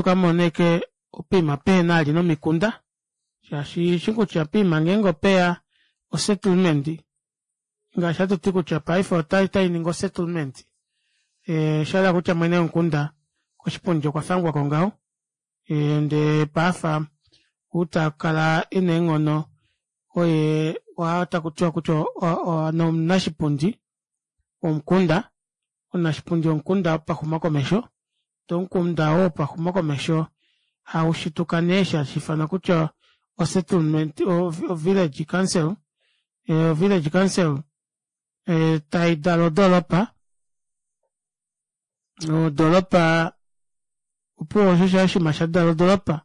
A: kamona ashike poima pehena vali nomikunda shaashi ushi kutya poima ngenge opeya o settlement ngaashi hatuti kutya paife otainingi o settlement oshahala kutya mwene womukunda koshipundi okwa fangwako ngaho ndee paife outakala ena eenghono oye oo takutiwa kutya omunashipundi womukunda omunashipundi womukunda wopaxumokomesho ndee omukunda oo wopaxumokomesho haushituka nee eshi hashiifanwa kutya o settlement o village council o village council taidala odoropa odoropa opuwo osho osho oshinima shadala odoropa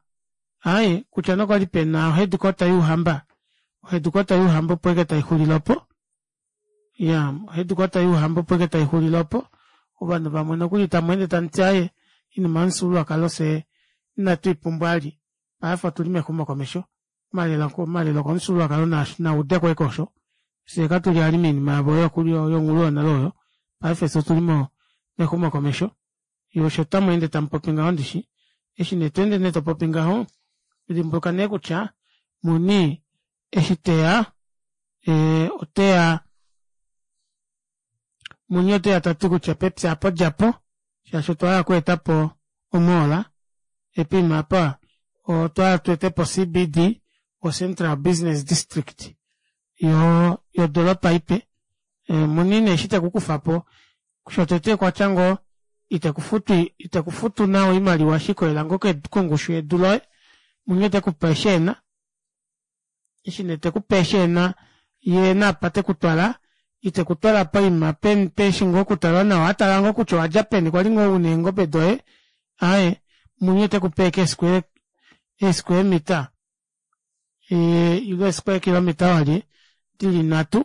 A: aaye kutya nee okwali pena o headquarter youhamba o headquarter youhamba opo ashike taixulile opo iyaa o headquarter youhamba opo ashike taixulile opo ovanhu vamwe nokuli tamweende tamuti aaye oinima yomufyuululwakalo fyee inatwiipumbwa vali paife otuli mexumokomesho omalelo okomufyuululwakalo naudeko ashike osho fyee katuli vali moinima yavo yonghulu yonale oyo paife fyee otuli mexumokomesho yee osho tamweende tamupopi ngaho ndishi eshi nee tweende nee topopi ngaho dimbuluka nee kutya muni eshi teya oteya muni oteya tati kutya pepya aapo djapo shaashi otwa hala okweetapo o mall poima aapa otwahala tweetepo C B D o central business district yoo yodoropa ipe muni nee eshi tekukufapo shotete okwatya ngoo itekufutu itekufutu nawa oimaliwa shikolela ngoo kongushu yedu loye muni otekupe eshi ena eshi nee tekupe eshi ena yee naapa tekutwala itekutwala poima peshi ngoo okutalwa nawa atala ngoo kutya owadja peni kwali ngoo una eengobe doye aaye muni otekupe ashike ee square meter ile ee square kilometer walye dili nhatu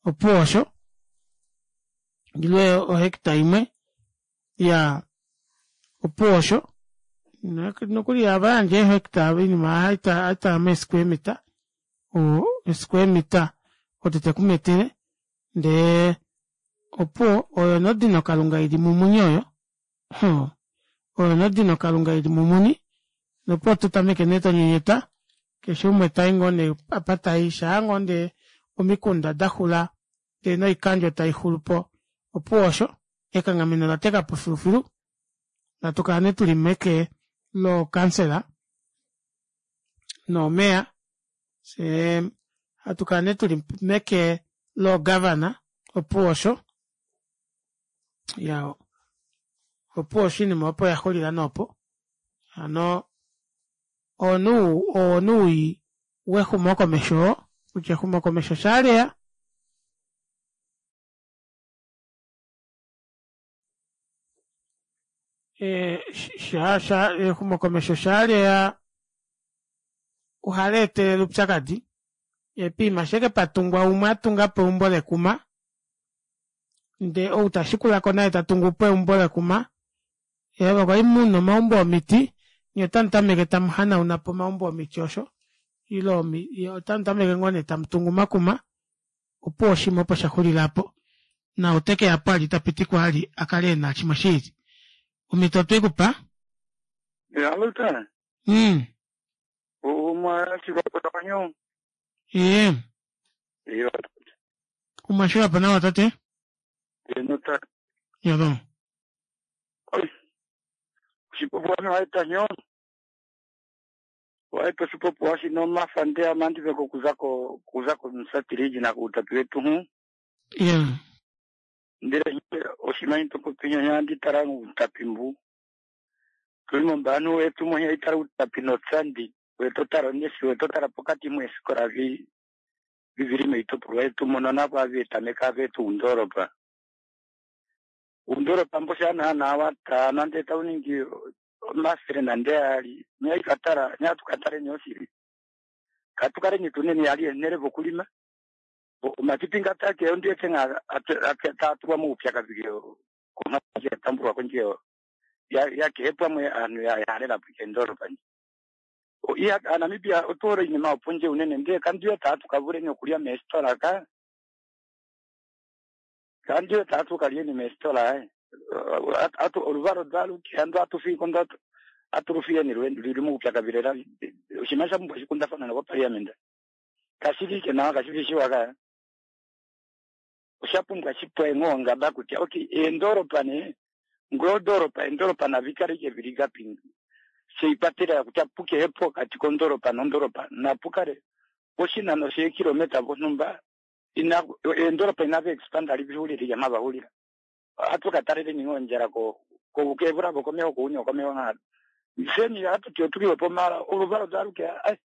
A: opuwo osho ile o hectare imwe iyaa opuwo osho nokuli ohavayandje ee hectare oinima ohaitalwa mee square meter oo square meter odo tekumetele ndee opuwo oyo nee odino kalunga ili mumuni oyo hoo oyo nee odino kalunga ili mumuni nopuwo ototameke nee tonyenyeta keshe umwe tai ngoo nee apa tai shaangoo nee omikunda daxula ndee noikandjo taixulupo opuwo osho ekanghameno olatekapo filufilu hatukala nee tuli meke loo kansela noo mayor fyee hatukala nee tuli meke loo governor opuwo osho iyaa opuwo osho oinima opo oyaxulila nee opo hano oo nee owii wexumokomesho oo kutya exumokomesho shaaleya exumokomesho shaaleya ohaleetelele oupyakadi yee poima eshi ashike patungwa umwe atungapo eumbo lekuma ndee ou tashikulako naye tatungupo eumbo lekuma ava kwali muna omaumbo omiti nyee otamutameke tamuhanaunapo omaumbo omiti osho Ile otamu tameke ngoo nee tamutungu omakuma opuwo oshinima opo shaxulila aapo naau tekeyapo ali itapitikwa vali akale ena shimwe shiili omito otweikupa.
L: Alô, tá.
A: Mm.
L: Uma chikopanyo.
A: Ee.
L: Iyo.
A: Umashula nawa tate?
L: Eno ta.
A: Yado.
L: Oi. Chipopo waita nyo. Waita chipopo washi no mafande amandi veko kuzako kuzako msatiriji na kutapiwetu hu.
A: Yeah.
L: Ndere oshimanyi tokopinya nyandi tarangu utapimbu. Tuli mbanu wetu mwenye itara utapino tsandi wetotara nesi wetotara pokati mwesikora vi viviri meitopolwa yetu mono napo avetameka avetu undoropa undoropa mboshana nawa nande tauningi masere nande ali nyaikatara nyatukatare nyosiri katukare nyituneni ali enere vokulima matipinga take ndiye tenga atatuwa muupya kabigeo koma tambulwa konjeo ya ya kepwa mwe anu ya yarela puchendoro pani o iya Namibia otore inyuma opunje unene ndiye kandiyo tatu kavure ni okulia mestora ka kandiyo tatu kalye ni mestora eh atu oluvaro dalu kiando atufiko ndo aturufie ni rwendu lili mupya kabirera ushimasha mbwa shikunda fana na kwa parliament kashirike na kashirishiwa ka ushapumbwa chipwe ngonga bakuti okay endoro pane ngodoropa endoropa navikarike viriga pingi seipatira kuti apuke hepo kati kondoropa nondoropa napukare oshinano shekilometa vonumba ina endoropa inave expand ali vihuliri yamavahulira atukatarire ningonjera ko ko komeho kuunyo komeho ng'a seni atu tiotukiwepo mara oluvalo dzaluke ai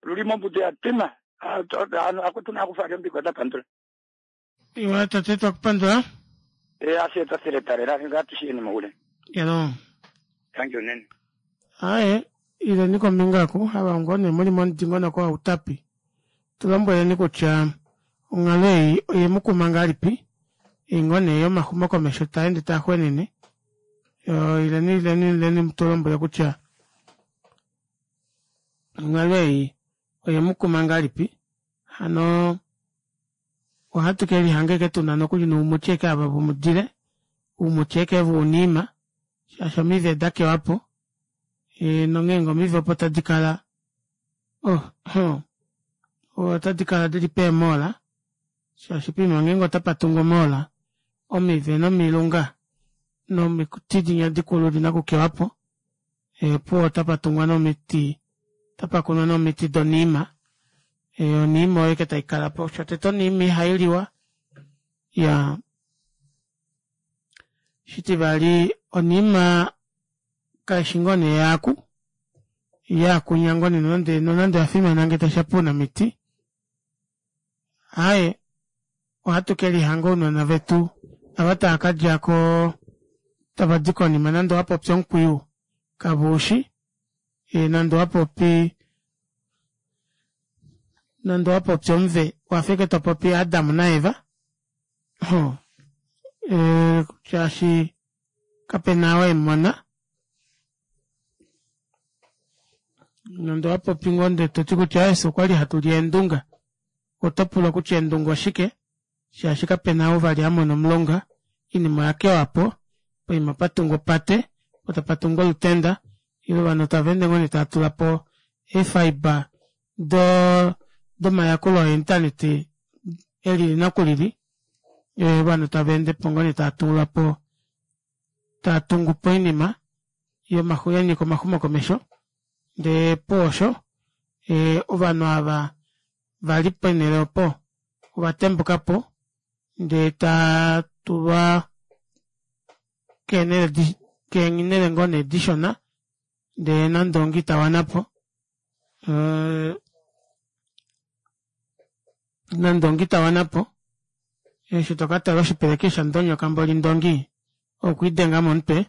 L: lulimo mbude yatima akutuna akufaryo mbiko dapandula
A: Iwa tate twakupandula.
L: E aseta seletarera ngatushiyeni muule.
A: Yalo.
L: Thank you nene.
A: Aye, ileni kombinga aku ava ngoo muli momudingonoko waUtapi. Tulombweleni kutya onghalo ei oyemukuma ngahelipi ei ngoo nee yomaxumokomesho taende taaxwenene. Ileni ileni ileni mutulombwele kutya onghalo ei oyemukuma ngahelipi hano ohatu kelihanga ashike tuna nokuli noumuti ashike ava vomudile oumuti ashike vounima shaashi omive dakewapo e, nongeenge omive opo tadikala oh, oh, otadi kala dili peemola shaashi poima ngeenge otapa tungwa omoola omive nomilunga nomiti dinya dikulu odina okukewapo opuwo otapa tungwa nomiti otapakunwa nomiti doniima oniima oyo ashike taikalapo shotete oniima ihailiwa iyaa shitivali oniima kaishi ngoo nee yaaku yaakunya ngoo nee nonande nonande oyafimana ngee tashiya pounamiti aaye ohatu kelihanga ounona vetu ava tava kadjako tavadi konima nande owapopi omukwiyu kaveushi nande owapopi nande owapopi omuve owafa ashike topopi Adam naEva oh shaashi kapena oo emumona nande owapopi ngoo ndee toti kutya fye okwali hatuli eendunga otopulwa kutya eendunga oshike shaashi kapena ou vali amona omulonga oinima oyakewapo poima patungwa opate poo tapatungwa olutenda ile ovanhu tavaende ngoo nee tavatulapo ee fibre do domayakulo o internet elili nokulili ovanhu tavaendepo ngoo nee tavatulapo taatungupo oinima yanyika omaxumokomesho ndee opuwo osho ovanhu ava vali ponele opo ovatembukapo ndee taatulwa keenele keenele ngoo nee dishona ndee nandongi itawanapo nandongi itawanapo eshi tokatala oshipeleki shandonyoka mboli ndongi okwiidenga momutwe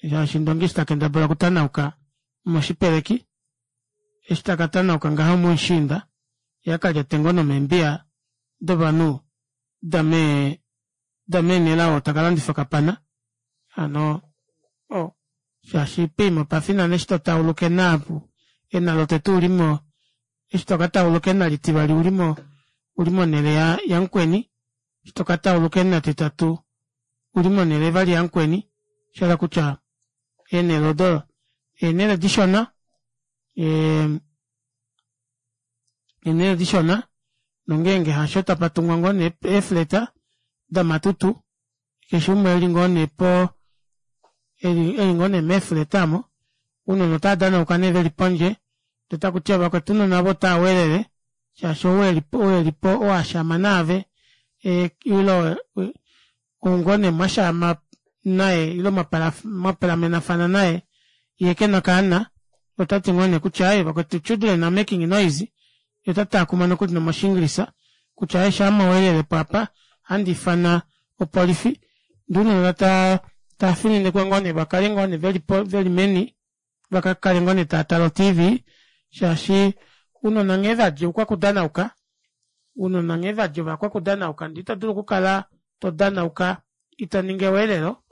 A: shaashi ndongi eshi takendabala okutanauka moshipeleki eshi takatanauka ngaho momushiinda yee akalyate ngoo nomeembiya dovanhu damee dameenelao takalandifa okapana hano oh shaashi poima opafinana eshi totauluka ena ena lotete ulimo Eshi tokatauluka ena litivali uli mo uli monele yamukweni eshi tokatauluka ena etitatu uli monele vali yamukweni oshahala kutya eenele odo eenele dishona ee eenele dishona nongenge hasho tapatungwa ngoo nee ee flat domatutu keshe umwe eli ngoo nee poo eli ngoo nee mee flat aamo ounona otava danauka nee veli pondje ndee otakutiwa vakwetu ounona aava otavaweelele shaashi ou elipo ou ashaama naave ile ou ngoo nee mwashaama naye ile mwapalamenafana naye yee kena okaana otati ngoo neekutya aaye vakwetu children are making noise yee otataakuma nokuli nomoshingilisa kutya aaye shaa mweelelepo aapa ohandi ifana opolifi ndee ounona tavafininikwa ngoo nee vakale ngoo nee veli meni vakakale ngoo nee tavatale o tv shaashi ounona nghee vadi oukwakudanauka ounona nghee vadi ovakwakudanauka ndee itodulu okukala todanauka itoningi eweelelo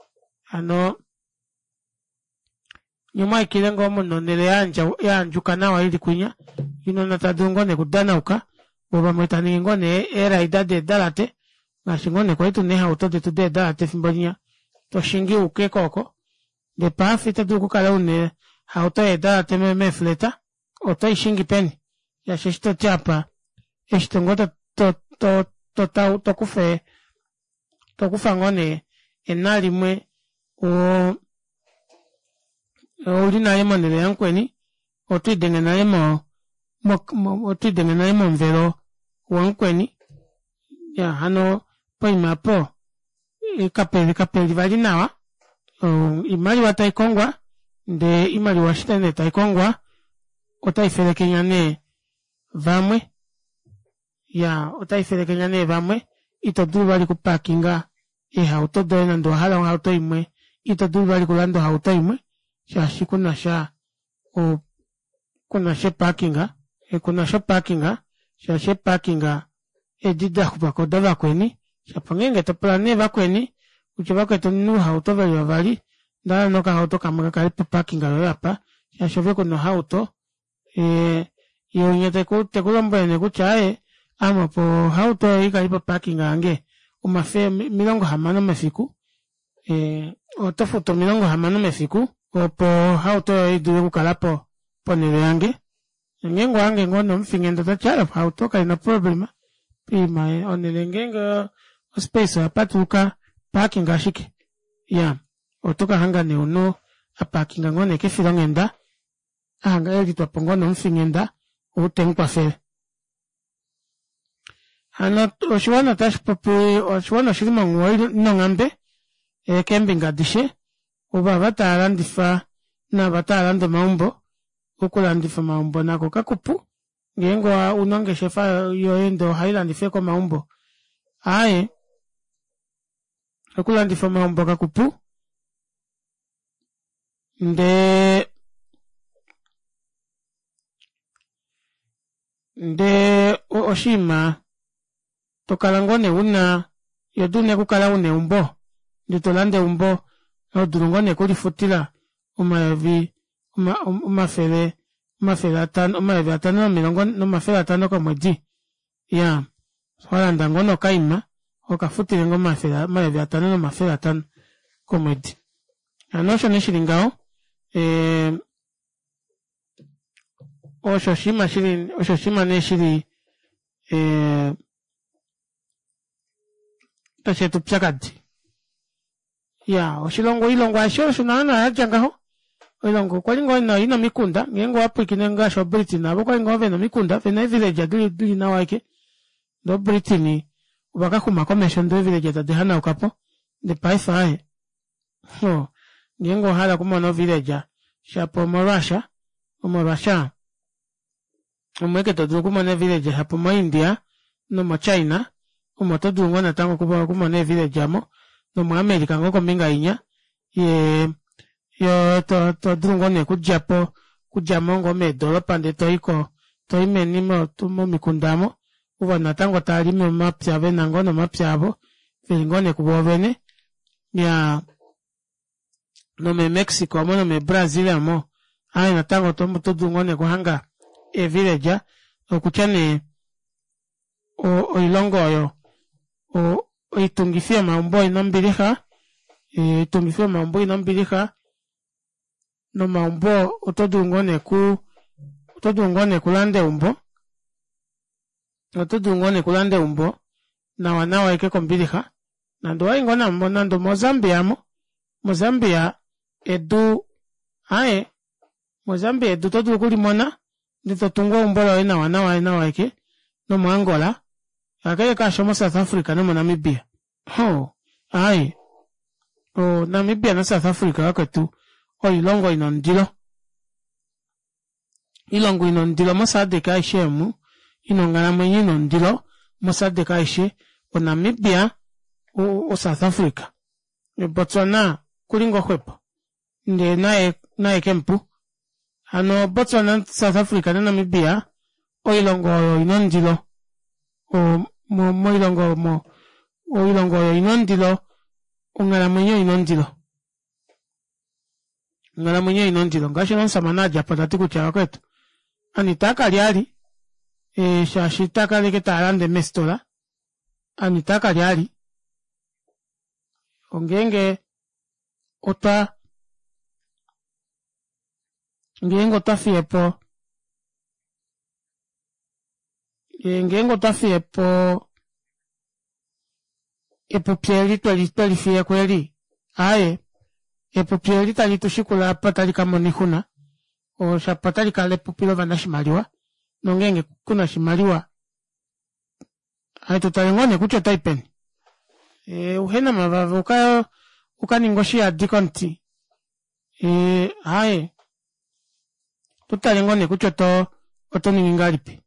A: hano nyee omwaaikile ngoo muna onele yaandjuka nawa ili kwinya ounona taadulu ngoo nee okudanauka voo vamwe tavaningi ngoo nee eeraida deedalate ngaashi ngoo nee kwali tuna eehauto detu deedalate efimbo linya toshingi uke kooko ndee paife ito dulu okukala una ohauto yeedalate mee flat otoishingi peni shaashi eshi toti aapa eshi ngoo to- to- to tokufa tokufa ngoo nee ena limwe oo ouli nale monele yamukweni otwiidenge nale mo otwiidenge nale momuvelo wamukweni iyaa hano poima aapo kapeli vali nawa oimaliwa taikongwa ndee oimaliwa eshi nee taikongwa ota ifelekenya nee vamwe iyaa ota ifelekenya nee vamwe itodulu vali oku parkinga eehauto doye nande owahala ohauto imwe itodulu vali okulanda ohauto imwe shaashi kunasha kunasha eparkinga kunasha oparkinga shaashi eeparkinga edi daxupako odavakweni shapo ongenge topula nee vakweni kutya vakwetu omuna ouhauto veli vavali ondahala nee okahauto kamwe kakale po parkinga yoye aapa shaashi ove kuna ohauto yee winya tekulombwele nee kutya aaye ame opo ohauto yoye ikale po parkinga yange omilongo hamano mefiku otofutu omilongo hamano mefiku opo ohauto yoye idule okukala ponele yange nongenge owahange ngoo nee omufinghenda otati aaye ohauto kaina oproblema poima onele ngeenge o space oyapatuluka parkinga ashike iyaa otokahanga nee omunhu aparkinga ngoo nee kefilonghenda ahanga elitwapo ngoo nomufinghenda ou temukwafele. Hano oshiwana otashipopi oshiwana oshili monghuwo inonghambe keembinga adishe ovava taalandifa naava taalande omaumbo okulandifa omaumbo nako kakupu ngeenge una ongeshefa yoye ndee ohailandifa ashike omaumbo aaye okulandifa omaumbo kakupu ndee ndee oshiima tokala ngoo nee una ihodulu nee okukala una eumbo ndee tolande eumbo hodulu ngoo nee okulifutila omayovi omafele omafele atano omayovi atano nomafele atano komwedi iyaa walanda ngoo nee okaima hokafutile ngoo omayovi atano nomafele atano komwedi hano osho nee shili ngaho ee osho oshiima shili osho oshiima nee shili ee tasheeta oupyakadi iyaa oshilongo oilongo aishe osho naana yatya ngaho oilongo okwali ngoo ina omikunda ngeenge owapwiikine ngaashi oo britain avo okwali ngoo vena omikunda vena ee village dili nawa aike ndee o britain ovakaxuma komesho ndee ee village tadi hanaukapo ndee paife aaye ngeenge owahala okumona o village shapo omo russia omo russia omo ashike todulu okumona ee village shapo omo india nomo china omo todulu ngoo natango okumona ee village aamo nomo america ngoo kombinga inya yee todulu ngoo nee okudjapo okudjamo ngoo meedoropa ndee toyi toyi meni momikunda aamo ovo natango tavalimi omapya vena ngoo nee omapya avo veli ngoo nee kuvoovene iyaa nome mexico omo nome brazil aamo aaye natango otodulu ngoo nee okuhanga ee village Okutya nee oilongo oyo oitungifi yomaumbo oina ombilixa oitungifi yomaumbo oina ombilixa nomaumbo otodulu ngoo nee kuu otodulu ngoo nee okulanda eumbo otodulu ngoo nee okulanda eumbo nawa nawa ashike kombilixa nande owayi ngoo nande omo zambia aamo mo zambia edu aaye mo zambia edu oto dulu okulimona ndee totungu eumbo loye nawa nawa nawa ashike nomo angola kakele kaasho mo south africa nomo namibia ohoo aaye o namibia na south africa vakwetu oilongo ina ondilo oilongo ina ondilo mo sadc aishe omu ina onghalamwenyo ina ondilo mo sadc aishe o namibia o south africa botswana okuli ngoo xwepo ndee naye naye kemupu hano botswana south africa na namibia oilongo oyo oina ondilo moilongo omo oilongo oyo oina ondilo onghalamwenyo oina ondilo onghalamwenyo oina ondilo ngaashi omushamane adjapo tati kutya vakwetu ovanhu itaakalya vali shaashi itaakala ashike taalande meefitola ovanhu itaakalya vali ongeenge otwa ngeenge otwa fiyepo ngeenge otwa fiyepo epupi eli twelifiyeko eli aaye epupi eli tali tushikula aapa otali kamona oixuna shapo otalikala epupi lovanashimaliwa nongeenge kuna oshimaliwa hatutale ngoo nee kutya otayi peni uhena omavava ukaninge oshihadi komuti aaye otutale ngoo nee kutya oto otoningi ngahelipi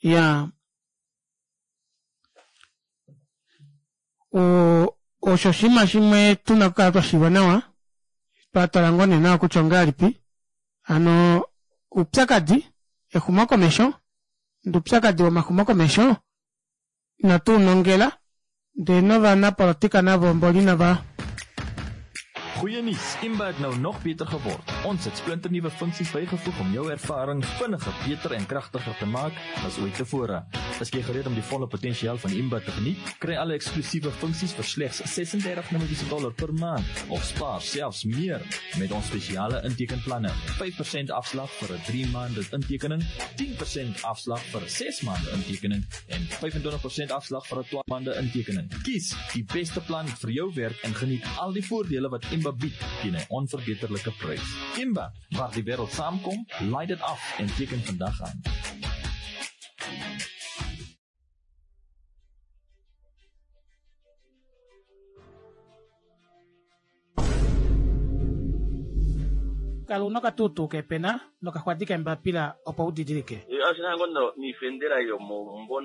A: iyaa oo osho oshinima shimwe tuna okukala twashiiva nawa twatala ngoo nee nawa kutya ongahelipi hano oupyakadi exumokomesho ndee oupyakadi womaxumokomesho inatu unongela ndee novanapolitika navo mboli inava
M: Goeie nuus, Imba het nou nog beter geword. Ons het splinternuwe funksies bygevoeg om jou ervaring vinniger, beter en kragtiger te maak as ooit tevore. Is jy gereed om die volle potensiaal van Imba te geniet? Kry alle eksklusiewe funksies vir slegs ses-en-dertig Namibiese dollar per maand of spaar selfs meer met ons spesiale intekenplanne. vyf persent afslag vir 'n drie maande intekening, tien persent afslag vir 'n ses maande intekening en vyf-en-twintig persent afslag vir 'n twaalf maande intekening. Kies die beste plan vir jou werk en geniet al die voordele wat Imba bied teen 'n onverbeterlike prys. Imba, waar die wêreld saamkom, laai dit af en teken vandag aan.
A: Kala una okatuutuu keepena nokaxwadi keembapila opo udidilike.
H: Oshina ngoo niifendela yomomumvo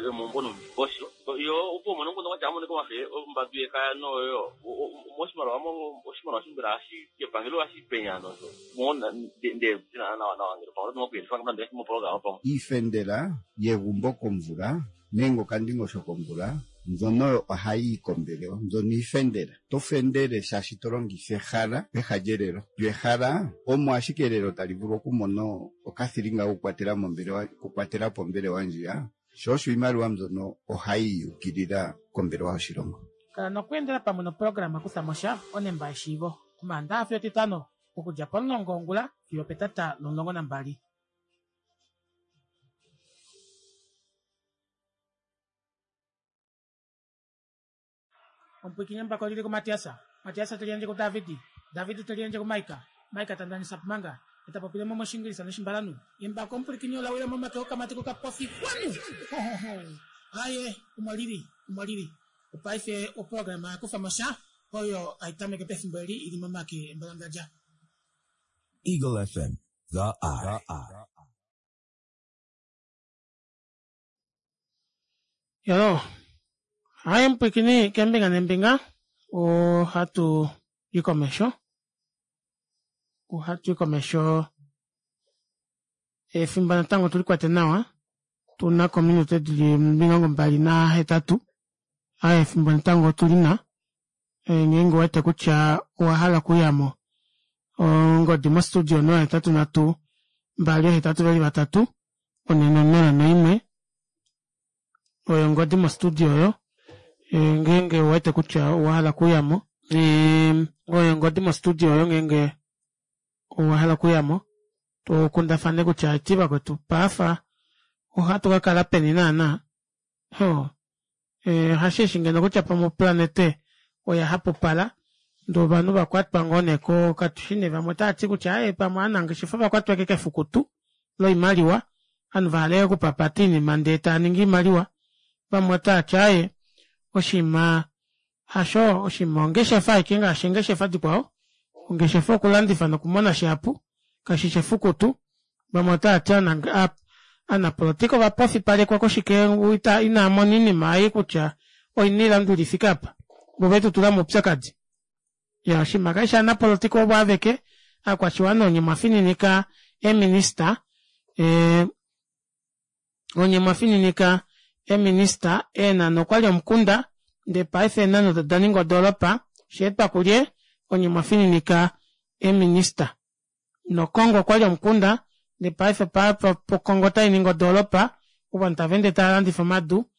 H: yomomumvo nomundingosho yo opo umone nguno kwatya amonike wafe ombadu yekaya noyo moshimaliwa oshimaliwa shimbela hashi epangelo hashi penya nozo mona nde nawa nawa ngele pamwe oto nokuyelifa moprograma pamwe
I: Iifendela yegumbo komvula nenge okandingosho komvula mbyono ohayi yi kombelewa mbyono iifendela. Oto fendele shaashi to longitha ehala peha lyelelo. Lyo ehala omo ashike elelo tali vulu okumona okathilinga kokukwatela mombelewa okukwatela po ombelewa ndjiya sho osho iimaliwa mbyono ohayi yukilila kombelewa yoshilongo.
A: Kala nokweendela pamwe noprograma Kutha mo sha onemba yeshiivo Omaandaxa fiyo Etitano okudja pomulongo wongula fiyo opetata lomulongo nambali. Omupwiikini embako lili kuMatias, Matias te liyandje kuDavid, David te liyandje kuMaika, Maika ta ndanisa Pumanga, e ta popile mo mOshiingilisa nOshimbalanhu. Embako omupwilikini ola wila momake okamati kokapofi kwanu! Hohoho! Aaye, omo lili, omo lili. Opaife oprograma ya kufa mo sha oyo hai tameke pefimbo eli i li momake embalangadja.
G: Eagle F M, The Eye.
A: Yolo, haye mupwiikini kembinga nembinga ohatu i komesho ohatu i komesho efimbo natango tulikwate nawa tuna kominute dili omilongo mbali nahetatu aaye efimbo natango otulina ngeenge ouwete kutya owahala okuyamo ongodi mo studio onola hetatu nhatu mbali ohetatu veli vatatu One nonola noimwe oyo ongodi mo studio oyo ngeenge ouwete kutya owahala okuyamo oyo ongodi mo studio oyo ngeenge owahala okuyamo tukundafane kutya eti vakwetu paafa ohatu kakala peni naana hoo hasheeshi ngeno kutya pamwe oplanete oya hapupala ndee ovanhu vakwatwa ngoo nee katushi nee vamwe otaati kutya aaye pamwe ovanangeshefa ovakwatwa ashike kefukutu loimaliwa ovanhu vahala ashike okupapata oinima ndee taaningi oimaliwa vamwe otaati aaye oshiima hasho oshiima ongeshefa ashike ngaashi eengeshefa dikwao ongeshefa okulandifa nokumona shihapu kashishi efukutu vamwe otaati ovanapolitika ovapofipalekwa koshike inaamona oinima ei kutya oina oilanduli ifike aapa voo ovetutula moupyakadi iyaa oshinima kashishi ovanapolitika ovo aveke ovakwashiwana onye mwafininika ee minister ee onye mwafininika ee minister Eenhana okwali omukunda ndee paife Eenhana odo odaninga odoropa oshaetwa kulye onye mwafininika ee minister nOkongo okwali omukunda ndee paife Okongo otainingi odoropa ovanhu tavaende tavalandifa omadu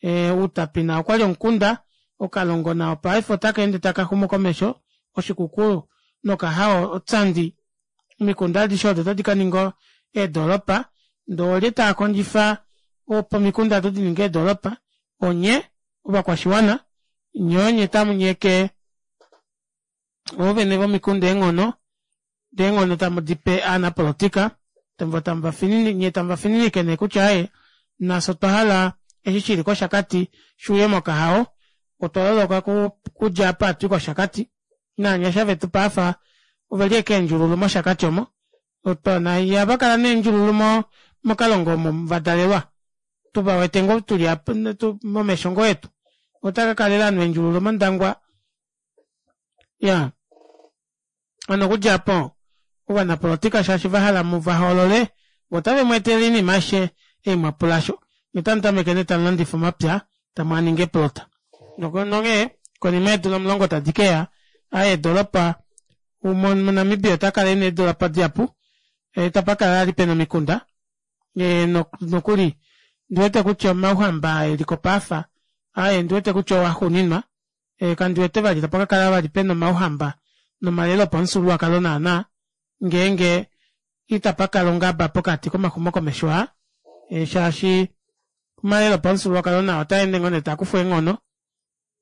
A: Outapi nao okwali omukunda Okalongo nao paife otakaende takaxumu komesho Oshikuku nOkahao Otsandi omikunda adishe odo ota dikaninga eedoropa ndee oolye taakondjifa opo omikunda aado dininge eedoropa onye ovakwashiwana nyee onye tamunyeke oovene vomikunda eenghono dee eenghono tamudipe ovanapolitika voo tamuvafininike nyee tamuvafininike nee kutya aaye nafye otwahala eshi shili kOshakati shuuye mOkahao otwa loloka okudja apa hatui kOshakati novanyasha vetu paife oveli ashike eendjululu mOshakati omo ihavakala nee eendjululu mOkalongo omo vadalelwa tuvawete ngoo tuli aapa momesho ngoo etu otavakalela ovanhu eendjululu mOndangwa iyaa hano okudja aapo ovanapolitika shaashi vahala muvahoolole voo otave mweetele oinima aishe ei mwapula aasho nyee otamutameke nee tamulandifa omapya tamwaaningi eeplota nonghee konima yeedula omulongo tadi keya aaye eedoropa moNamibia otakala ena eedoropa dihapu itapakala vali pena omikunda nokuli ondiwete kutya omauhamba aa eliko paife aaye ondiwete kutya oo axuuninwa kandiwete vali tapakakala vali pena omauhamba nomalelo opamufyuululwakalo naana ngeenge itapakala ongaba pokati komaxumokomesho aa shaashi omalelo opamufyuululwakalo nao otaende ngoo nee taakufwa eenghono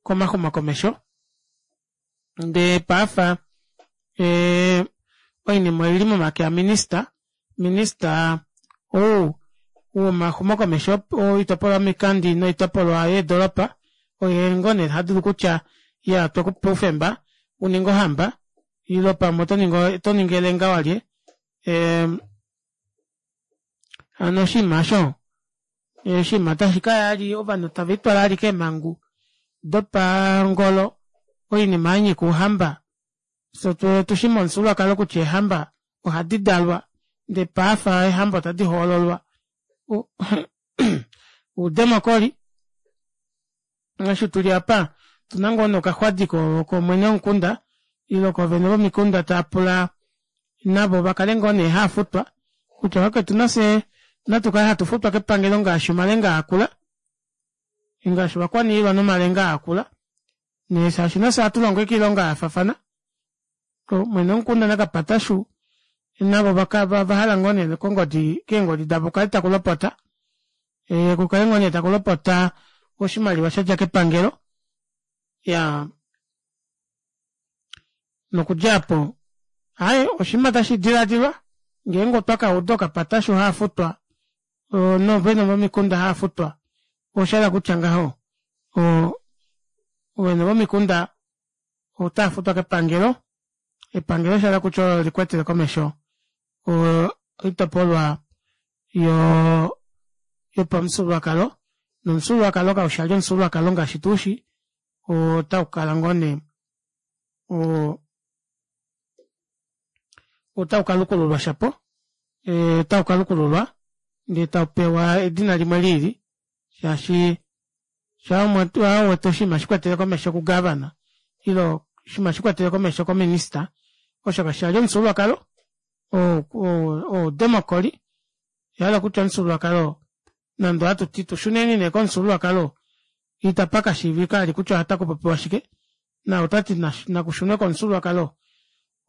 A: komaxumokomesho ndee paife oinima oili momake aminister minister ou womaxumokomesho oitopolwa yomikandi noitopolwa yeedoropa oye ngoo nee tadulu kutya iyaa otwekupa oufemba uninge ohamba ile pamwe otoningi elenga walye hano oshinima aasho oshinima tashikaya vali ovanhu tavelitwala vali keemangu dopangolo oinima yanyika ouhamba fyee otushi momufyuululwakalo kutya eehamba ohadi dalwa ndee paife eehamba ota dihoololwa oudemocry eshi tuli aapa otuna ngoo nee okaxwadi koomwene vomukunda ile koovene vomikunda taapula navo vakale ngoo nee haafutwa kutya vakwetu nafye natukale hatufutwa kepangelo ngaashi omalenga aakula ngaashi ovakwaniilwa nomalenga aakula nee shaashi nafye ohatulongo ashike oilonga yafaafana mwene womukunda nakapatashu navo ovahala ngoo nee kongodi keengodi davo kukale takulopota kukale ngoo nee takulopota oshimaliwa shadja kepangelo iyaa nokudja aapo aaye oshinima tashi dilaadilwa ngeenge otwa kauda ookapatashu haafutwa noovene vomikunda haafutwa oshahala kutya ngaho oovene vomikunda otaafutwa kepangelo epangelo shahala kutya olo likwetele komesho oitopolwa yoo yopamufyuululwakalo nomufyuululwakalo kaushi vali omufyuululwakalo ngaashi tuushi otaukala ngoo nee otaukalukululwa shapo otaukalukululwa ndee taupewa edina limwe liili shaashi shaa uwete oshinima shikwetele komesho ku governor ile oshinima shikwetele komesho ko minister osho kashishi vali omufyuululwakalo oudemocry Oyahala kutya omufyuululwakalo nande ohatuti tushuneni nee komufyuululwakalo itapa kashiivika vali kutya otakupopiwa shike naau tati nakushunwe komufyuululwakalo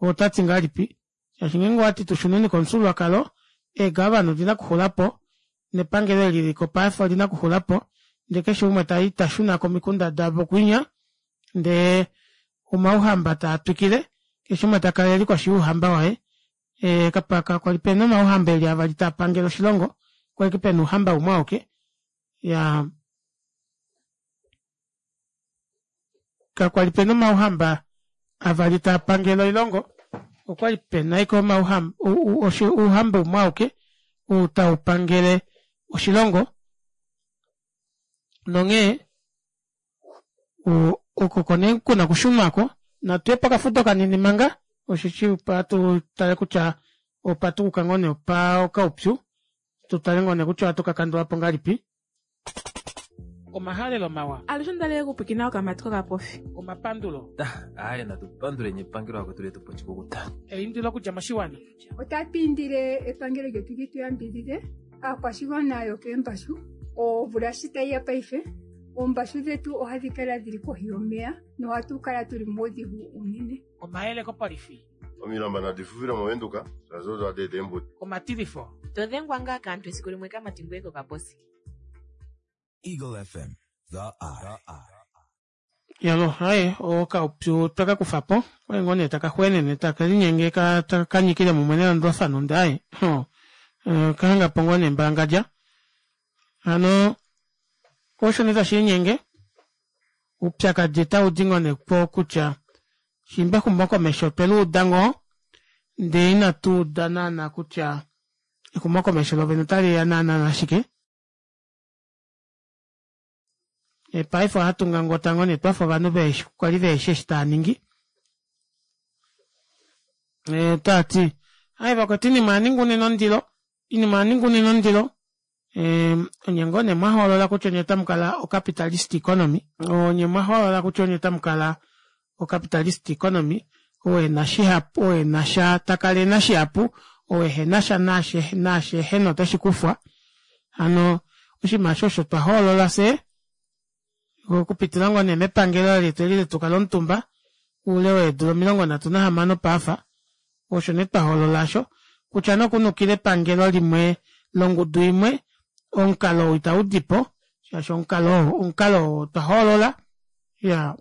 A: otati ngahelipi shaashi ngeenge owati tushuneni komufyuululwakalo eegavana odina okuxulapo nepangelo eli liliko paife olina okuxulapo ndee keshe umwe tai tashuna komikunda davo kwinya ndee omauhamba taatwikile keshe umwe takala eli koshi youhamba waye ee kakwali pena omauhamba eli avali taapangele oshilongo okwali ashike pena ouhamba umwe auke iyaa kakwali pena omauhamba avali taapangele oilongo okwali pena ashike omauhamba ouhamba umwe auke ou taupangele oshilongo nonghee oko nee kuna okushunwako natuye pokafudo kanini manga osheshi ohatu tale kutya opa tukuka ngoo nee opa okaupyu tutale ngoo nee kutya ohatu kakandulapo ngahelipi. Omahalelo mawa.
B: Alushe ondalele okupwiikina okamati kokapofi.
A: Omapandulo.
C: Aaye natu panduleni epangelo lakwetu letu po oshikukuta.
A: Eindilo okudja moshiwana.
D: Otatu indile epangelo lyetu li tu yambidhidhe aakwashigwana yokeembashu omvula shi tayi ya paife oombashu dhetu ohadhi kala dhili kohi yomeya nohatu kala tuli muudhigu unene.
A: Omayele kopolifi.
E: Omilamba nadi fufile mOvenduka shaashi odo hadi eta eembuto.
A: Omatilifo.
F: To dhengwa ngaa kaantu esiku limwe kamati ngoye kokaposi.
G: Eagle F M, The Eye.
A: Yalo, aye, okaupyu tweka kufapo, okwali ngoo nee taka xweenene take linyenge taka nyikile mumwe nelandulafano ndee aye, ho, okahangapo ngoo nee mbalangadja. Hano, osho nee tashiinyenge, oupyakadi otaudi ngoo nee po kutya shimba exumokomesho otweluuda ngoo ndee inatuuda naana kutya exumokomesho lovene otaliya naana nashike. Paife ohatu ngangota ngoo nee twafa ovanhu kwali veheshi eshi taaningi. Otaati aaye vakwetu oinima oyaninga unene ondilo, oinima oyaninga unene ondilo onye ngoo nee mwahoolola kutya onye otamukala o capitalist economy, onye mwahoolola kutya onye otamukala o capitalist economy ou ena shihapu ou enasha takala ena shihapu ou ehenasha naashi ehena oteshikufwa. Hano oshinima aasho osho twahoolola fyee okupitila ngoo nee mepangelo letu eli letukala omutumba oule weedula omilongo nhatu nahamano paafa osho nee twahoolola aasho kutya nokunukila epangelo limwe longudu imwe omukalo ou itaudipo shaashi omukalo oo omukalo oo twahoolola iyaa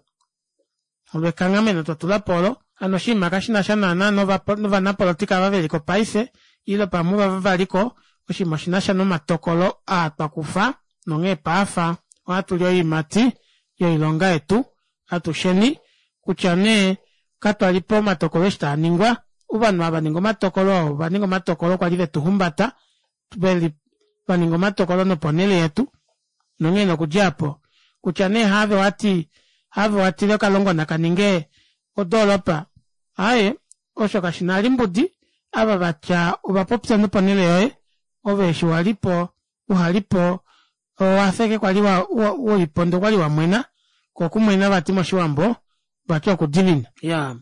A: olo ekanghameno twatulapo olo hano oshinima kashinasha naana novanapolitika ava veliko paife ile pamwe ovava valiko oshinima oshinasha nomatokolo aa twakufa nonghee paafa ohatuli oiimati yoilonga yetu atusheni kutya nee katwalipo omatokolo eshi taaningwa ovanhu ava vaninga omatokolo oo ovaninga omatokolo kwali vetuhumbata veli vaninga omatokolo noponele yetu nonghee nokudja aapo kutya nee haave wati haave watile okalongo nakaninge odoolopa aaye osho kashina vali mbudi ava vatya ovapopya noponele yoye ove eshi walipo uhalipo owafa ashike kwali ulipo ndee okwali wamwena koo okumwena vati moshiwambo vati okudimina. Iyaa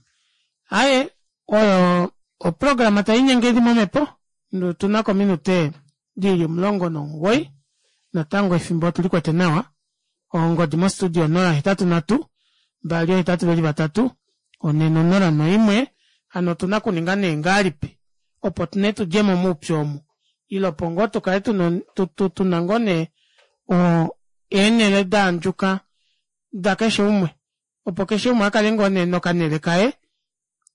A: aaye oyo oprograma taiinyenge ili momepo otunako ominute dili omulongo nomugoyi natango efimbo otulikwete nawa ongodi mo studio onola ohetatu nhatu mbali oohetatu veli vatatu onhe nonola noimwe hano otuna okuninga nee ngahelipi opo nee tudjemo moupyu omu ile opo ngoo tukale tuna ngoo nee eenele daandjuka dakeshe umwe opo keshe umwe akale ngoo nee nokanele kaye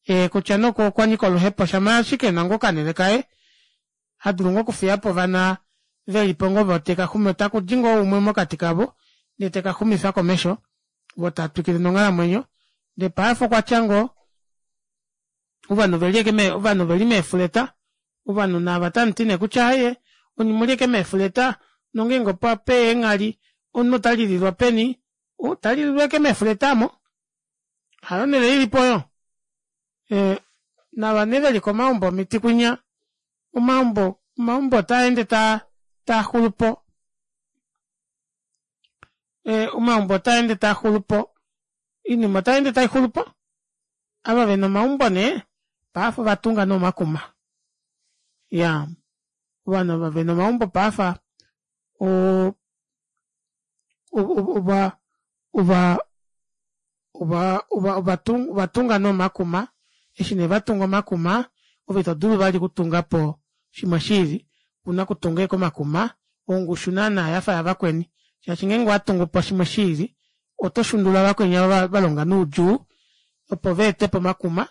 A: ee kutya nee okwanyika oluhepo shama ashike ena ngoo okanele kaye hadulu ngoo okufiyapo ovana velipo ngoo voo teka takudi ngoo umwe mokati kavo ndee tekaxumifa komesho voo taatwikile nonghalamwenyo ndee paife okwatya ngoo ovanhu oveli ashike ovanhu oveli meefuleta ovanhu naava tamuti nee kutya aaye onye omuli ashike meefuleta nongeenge opeya eenghali omunhu otalililwa peni otalililwa ashike meefuleta aamo hayo onele ilipo oyo ee nava nee veli komaumbo omiti kwinya omaumbo omaumbo otaende taa taaxulupo ee omaumbo otaende taaxulupo oinima otayeende taixulupo ava vena omaumbo nee paife ovatunga nee omakuma iyaa Ovanhu ava vena omaumbo paafa oo ova ova ova ovatunga nee omakuma eshi nee vatunga omakuma ove itodulu vali okutungapo shimwe shiili ouna okutunga ashike omakuma ongushu naana yafa yavakweni shaashi ngeenge owatungupo shimwe shiili oto shundula vakweni ava valonga noudjuu opo vaetepo omakuma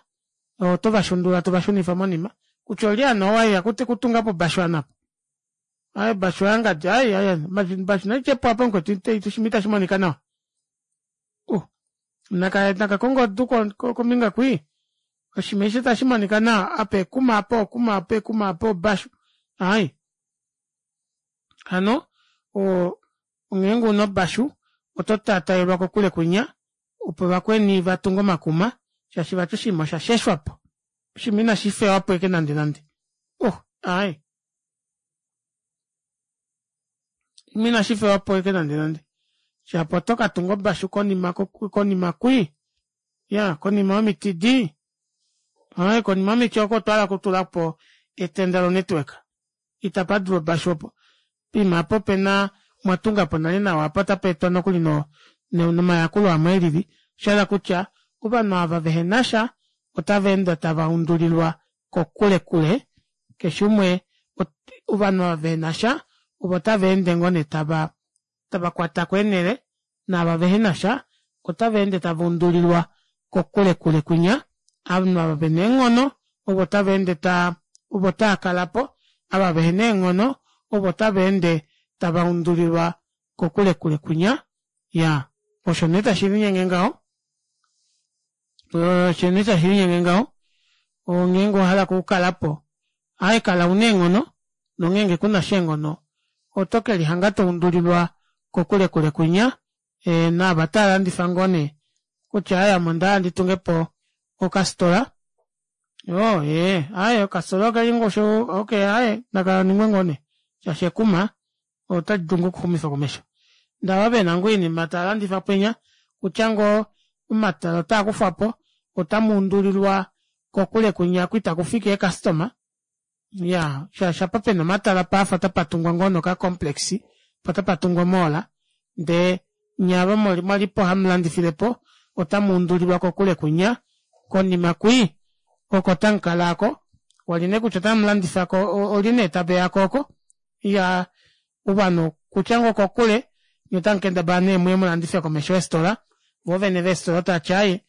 A: oto vashundula tovashunifa monima kutya olye hano ou eya okutungapo obashu ovanhu aapa aaye obashu oyangadi aaye aaye obashu naidjepo aapa mukwetu oshiima ita shimonika nawa uh nakakonge edu kombinga kwii oshiima eshi ita shimonika nawa apa ekuma apa okuma apa ekuma apa obashu aaye hano oo ngeenge una obashu oto tataelwa kokule kwinya opo vakweni vatunge omakuma shaashi vati oshinima osha sheshwapo oshinima ina shifewapo ashike nande nande oh aaye oshinima ina shifewapo ashike nande nande shapo oto katunga obashu konima konima kwii iyaa konima yomiti dii aaye konima yomiti oko otwahala okutulapo etenda lo network itapadulu obashu opo poima aapo opena omwatungapo nale nawa apa ota peetwa nokuli nomayakulo amwe elili oshahala kutya ovanhu ava vehenasha ota vaende tava undulilwa kokule kule keshe umwe ovanhu ava vehenasha ovo tavaende ngoo nee tava tavakwatako eenele naava vehenasha ota vaende tava undulilwa kokule kule kwinya ovanhu ava vena eenghono ovo tavaende taa ovo taakalapo ava vehena eenghono ovo tavaende tava undulilwa kokule kule kwinya iyaa osho nee tashilinyenge ngaho osho nee tashilinyenge ngaho ngeenge owahala okukalapo aaye kala una eenghono nongenge kunasha eenghono oto kelihanga toundulilwa kokule kule kwinya naava tavalandifa ngoo nee kutya aaye ame ondahala nditungepo okafitola oo ee aaye okafitola okeli ongushu okey aaye nakaningwe ngoo nee shaashi ekuma otalidulu ngoo okuxumifa komesho ndee ava vena ngoo oinima tavalandifa penya okutya ngoo omatala otaakufwapo otamuundulilwa kokule kwinya oku itakufiki ee customer iyaa shaashi apa pena omatala paafa otapatungwa ngoo nee oka complex poo otapatungwa o mall ndee nyee ava mwalipo hamulandifilepo ota muundulilwa kokule kwinya konima kwii oko tamukala aako wali nee kutya otamulandifa olye nee taveyako oko iyaa ovanhu okutya ngoo okokule nyee otamukendabala nee muye mulandife komesho yeefitola voo vene veefitola tavati aaye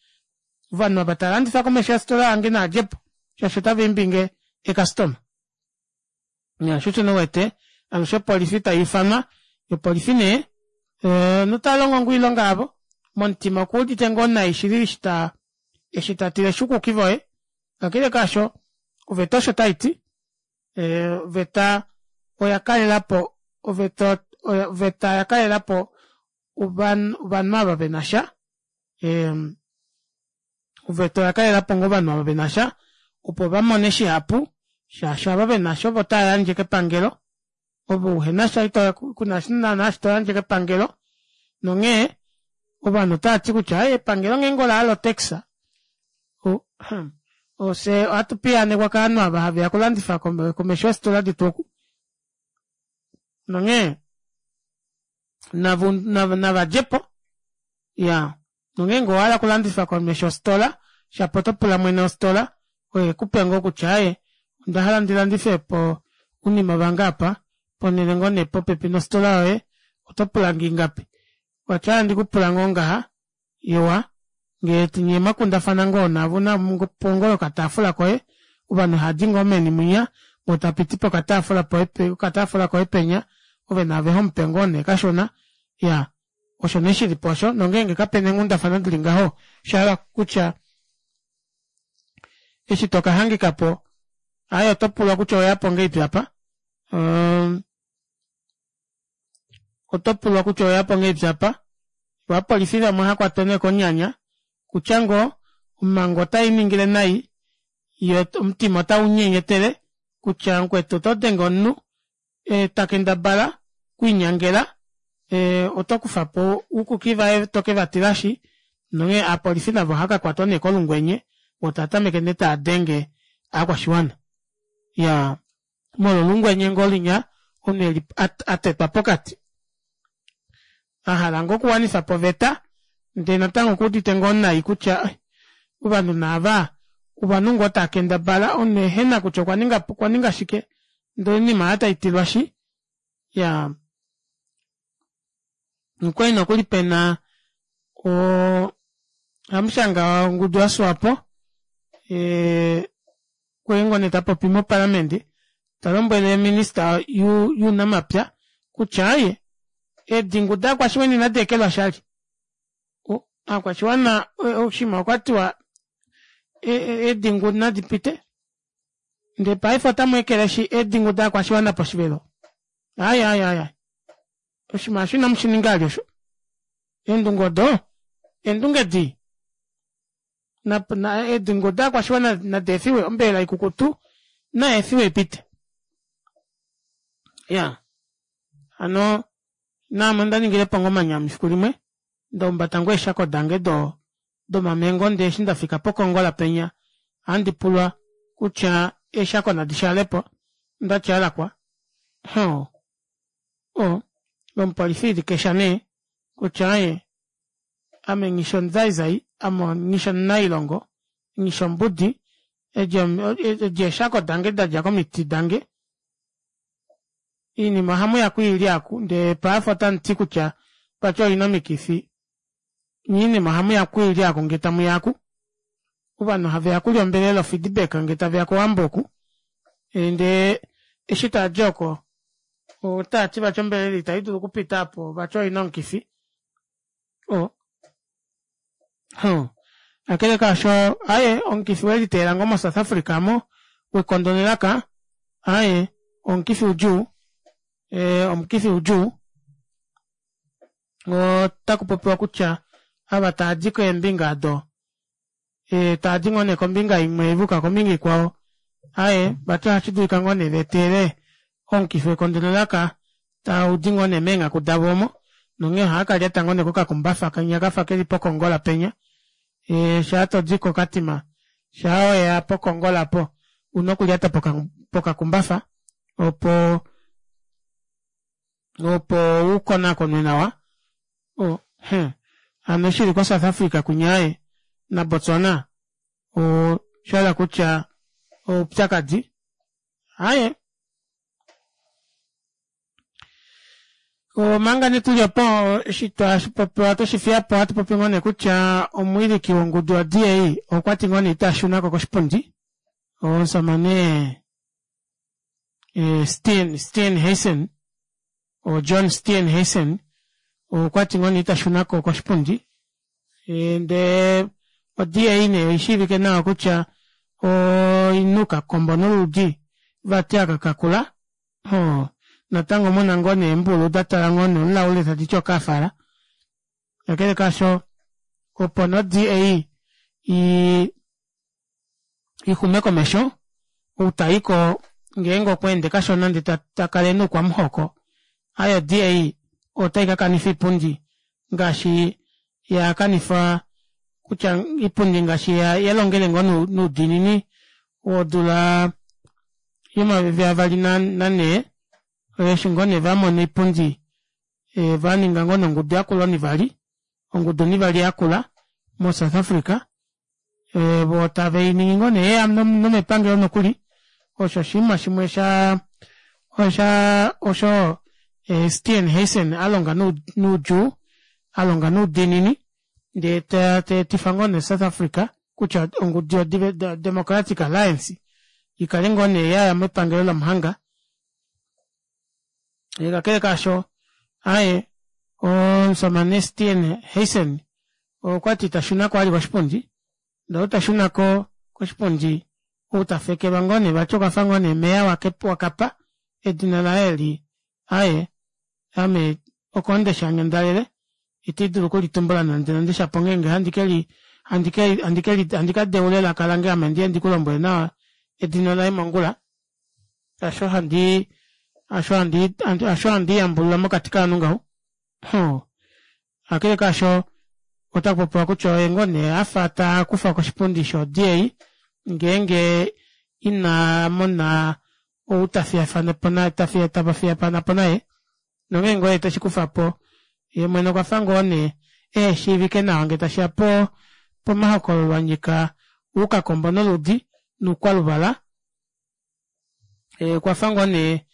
A: ovanhu ava tavalandifa komesho yofitola yange naadjepo shaashi otavaimbinge ee customer iyaa shoo osho nee uwete alushe opolifi taifanwa yoo opolifi nee otalongo ngoo oilonga yavo momutima okuudite ngoo nai shili eshi taa eshi tatileshi oukuki voye kakele kaasho oveta osho taiti oveta oya kalelapo oveta oveta oya kalelapo ovanhu ava venasha oveta oya kalelapo ngoo ovanhu ava venasha opo vamone shihapu shaashi ava venasha ovo tavayandje kepangelo ove uhenasha kuna naana eshi toyandje kepangelo nonghee ovanhu otavati kutya aaye epangelo ngeenge olahala o tax fyee ohatu piyaanekwa kovanhu ava haveya okulandifa komesho yeefitola detu oku nonghee navadjepo iyaa nongeenge owahala okulandifa komesho yofitola shapo otopula mwene wofitola oye ekupe ngoo kutya aaye ondahala ndilandifepo ounima vange aapa ponele ngoo nee popepi nofitola yoye oto pulange ingapi vati ohandi kupula ngoo ngaha iwa ngee nyee mwakundafana ngoo navo unapo ngoo okataafula koye ovanhu haadi ngoo meni mwinya woo tapiti pokataafula pokataafula koye penya ove naave homupe ngoo nee kashona iyaa osho nee shilipo osho nongenge kapena eenghundafana dili ngaho oshahala kutya eshi tokahangikapo aaye otopulwa kutya oweyapo ngahelipi apa otopulwa kutya oweyapo ngahelipi apa voo ovapolifi vamwe ohakwatwa nee konyanya kutya ngoo omango otainingile nai yee omutima otaunyenyetele kutya mukwetu otodenge omunhu takendabala okwiinyangela oto kufapo oukuki vaye tokevatilashi nonghee ovapolifi navo ohaakakwatwa nee kolungwenye voo taatameke nee taadenge ovakwashiwana iyaa Molwolungwenye ngoo linya omunhu eli atetwa pokati ahala ngoo okuwanifapo oveta ndee natango okuudite ngoo nai kutya ovanhu nee aava ovanhu ngoo taakendabala omunhu ehena kutya okwaninga shike ndee oinima aayo taitilwashi iyaa okwali nokuli pena oo hamushanga wongudu ya swapo ee okwali ngoo nee tapopi mopalamende talombwele ominister younamapya kutya aaye eedingu dovakwashiwana ina deekelwashi vali ovakwashiwana oshiima okwatiwa eedingu nadipite ndee paife otamweekeleshi eedingu dovakwashiwana poshivelo aaye aaye aaye oshinima aasho inamushininga vali osho eendunge odo eendunge dii eedingu dovakwashiwana nadeefiwe ombelela ikukutu nayeefiwe ipite iyaa hano naame ondaningilepo ngoo omanyami efiku limwe ndaumbata ngoo eeshako dange domamengo ndee eshi ndafika pokongola penya ohandipulwa kutya eeshako nadi shaalepo ondati alakwa oo oo lomupolifi ilikesha nee kutya aaye ame nghishi omuzaizai ame nghishi omunailongo nghishi ombudi edi eeshako dange dadja komiti dange oinima ohamuya okwiilya aaku ndee paife otamuti kutya vati oina omikifi nyee oinima ohamuya okwiilya aaku ngee tamuya aaku ovanhu haveya okulya ombelela o feedback ngee taveya kowambo oku ndee eshi taadi oko otaati vati ombelela ita idulu okupita aapo vati oina omukifi oo kakele kaasho aaye omukifi weliteela ngoo mo south africa aamo wekondo nelaka aaye omukifi udjuu ee omukifi udjuu otakupopiwa kutya ava taadi keembinga aado taadi ngoo nee kombinga imwe vayuka kombinga ikwao aaye vati ohashidulika ngoo nee veetele omukifi wekondo nelaka taudi ngoo nee meenghaku davo omo nonghee ohaakalyata ngoo nee kokakumbafa kenya kafa keli pokongola penya shaa todi kokatima shaa weya pokongola aapo ouna okulyata pokakumbafa opo opo ukonakonwe nawa hano eshi ili ko south africa kwinya aaye na botswana oshahala kutya oupyakadi aaye omanga nee tuli opo eshi twashipopiwa tweshifiyapo ohatupopi ngoo nee kutya omuwiliki wongudu yo D A okwati ngoo nee itashunako koshipundi omushamane Steenhuisen o John Steenhuisen okwati ngoo nee itashunako koshipundi ndee o D A nee oishiivike nawa kutya oina okakombo noludi vati aka kakula oo natango muna ngoo nee eembulu datala ngoo nee omulaule taditi okafala kakele kaasho opo nee o D A ixume komesho ou taiko ngeenge okweende kashona ndee takala ena oukwamuhoko aaye o D A otaikakanifa oipundi ngaashi yakanifa kutya oipundi ngaashi yalongele ngoo noudiinini wodula yomayovi avali nanhee eshi ngoo nee vamona oipundi vaninga ngoo nee ongudu yakula onivali ongudu onivali yakula mo south africa voo taveiningi ngoo nee yeya nomepangelo nokuli osho oshinima shimwe shaa osha osho Steenhuisen alonga noudjuu alonga noudiinini ndee teetifa ngoo nee south africa kutya ongudu yo democratic alliance ikale ngoo nee yaya mepangelo lomuhanga kakele kaasho aaye omushamane Steenhuisen okwati itashunako vali koshipundi ndee ou tashunako koshipundi ou tafekelwa ngoo nee vati okwafa ngoo nee mayor wakapa edina laye eli aaye ame oko ndeshanga ndalele ita ndidulu okulitumbula nande nande shapo ongenge handi keli handikadeula elaka lange ame ndiye ndikulombwele nawa edina laye mongula hasho handii hasho hasho handiiyambulula mokati kovanhu ngaho kakele kaasho otakupopiwa kutya oye ngoo nee afa takufwa koshipundi sho D A ngeenge ina mona Ou tafiyafanapo naye tavafiyafanapo naye nongeenge oye teshikufapo yeemwene okwafa ngoo nee eheshiivike nawa ngee tashiya poo pomahokololo anyika oukakombo noludi noukwaluvala okwafa ngoo nee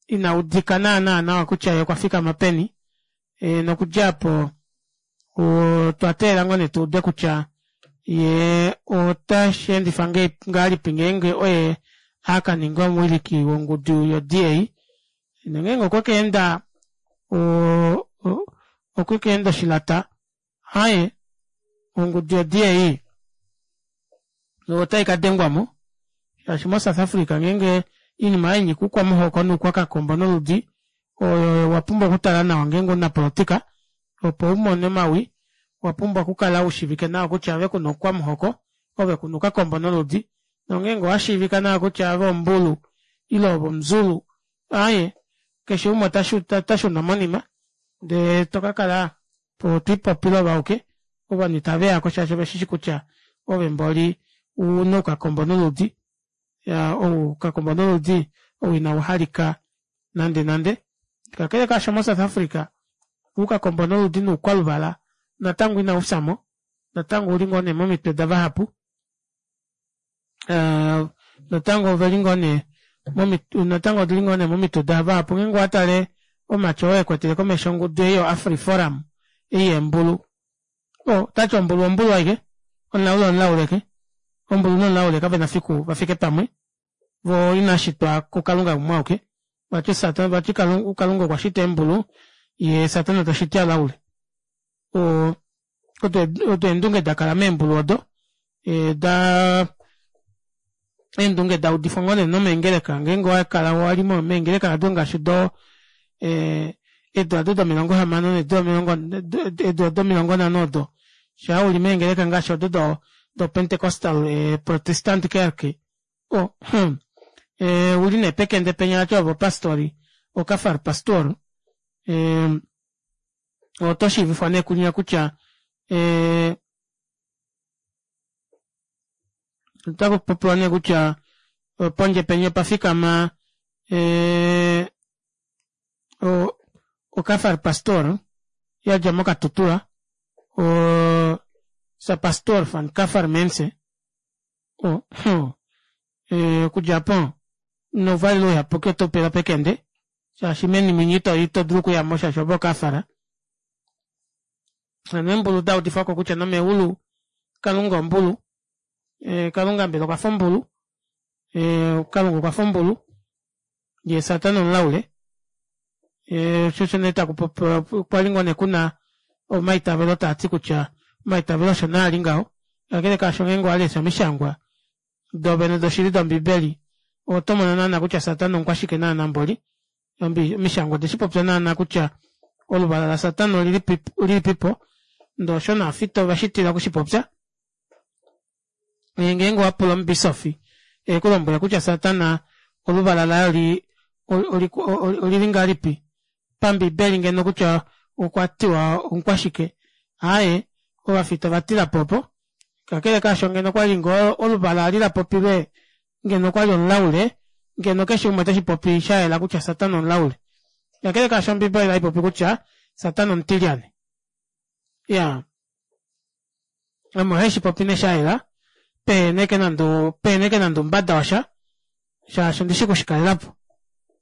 A: inaudika naana nawa kutya yee okwafikama peni nokudja aapo otwa teelela ngoo nee tuude kutya yee otasheendifa ngahelipi ngeenge oye akaninga omuwiliki wongudu yo D A nongeenge okwe kaenda oo okwe kaenda oshilata aaye ongudu yo D A otaikadengwamo shaashi mo south africa ngeenge oinima aayo yanyika oukwamuhoko noukwakakombo noludi oyo owapumbwa okutala nawa ngeenge omunapolitika opo umone omawi owapumbwa okukala ushiivike nawa kutya ove kuna oukwamuhoko ove kuna oukakombo noludi nongeenge owashiivika nawa kutya ove ombulu ile ove omuzulu aaye keshe umwe otashuna monima ndee tokakala twiipopile ove auke ovanhu itaveyako shaashi oveshishi kutya ove mboli ouna oukakombo noludi iyaa oukakombo noludi ou inauhalika nande nande kakele kaasho mo south africa oukakombo noludi noukwaluvala natango inaufyamo natango ouli ngoo nee momitwe davahapu natango oveli ngoo nee natango odili ngoo nee momitwe davahapu ngeenge owatale omumati oo ekwetele komesho ongudu ei yo afriforum ei yeembulu oo otati ombulu ombulu ashike omulaule omulaule ashike ombulu nomulaule kavena fiku vafike pamwe voo inavashitwa kukalunga umwe auke vati vati kalunga okwashita eembulu yee satana tashiti ovalaule oo odo eendunge dakala meembulu odo daa eendunge daudifwa ngoo nee nomeengeleka ngeenge owakala wali meengeleka aado ngaashi doo eedula aado domilongo hamano needula domilongo nhano odo shaa uli meengeleka ngaashi odo do pentecostal protestant kerk oo hmm uli nee pekende penya vati ove opastori okafar pastor otoshiivifwa nee kunya kutya ee otakupopiwa nee kutya pondje penya opafikama ee okafar pastor yadja mo katutura oo sa pastor van kafar mense okudja aapo nouvalelo uyapuki otoupelwa pekende shaashi meni mwinya itodulu okuyamo shaashi ove okafara hano eembulu daudifwako kutya nomeulu kalunga ombulu kalunga mbela okwafa ombulu kalunga okwafa ombulu yee satana omulaule shoo osho nee takupopiwa kwali ngoo nee kuna omaitavelo taati kutya omaitavelo osho nee ali ngaho kakele kaasho ngeenge owalesha omishangwa doovene doshili dombibeli otomono naana kutya satana omukwashike naana mboli omishangwa odeshipopya naana kutya oluvala lasatana olilipipo ndee osho novafita ovashitila okushipopya ngeenge owapula omubisofi ekulombwele kutya satana oluvala laye olili ngahelipi pambibeli ngeno kutya okwatiwa omukwashike aaye ovafita ovatilapo opo kakele kaasho ngeno okwali ngoo oluvala eli lapopilwe ngeno okwali omulaule ngeno keshe umwe oteshipopi shayela kutya satana omulaule kakele kaasho ombibeli oipopi kutya satana omutilyane iyaa ame ohaishipopi nee shayela pehena ashike nande pehena ashike nande oumbada washa shaashi ondishi okushikalelapo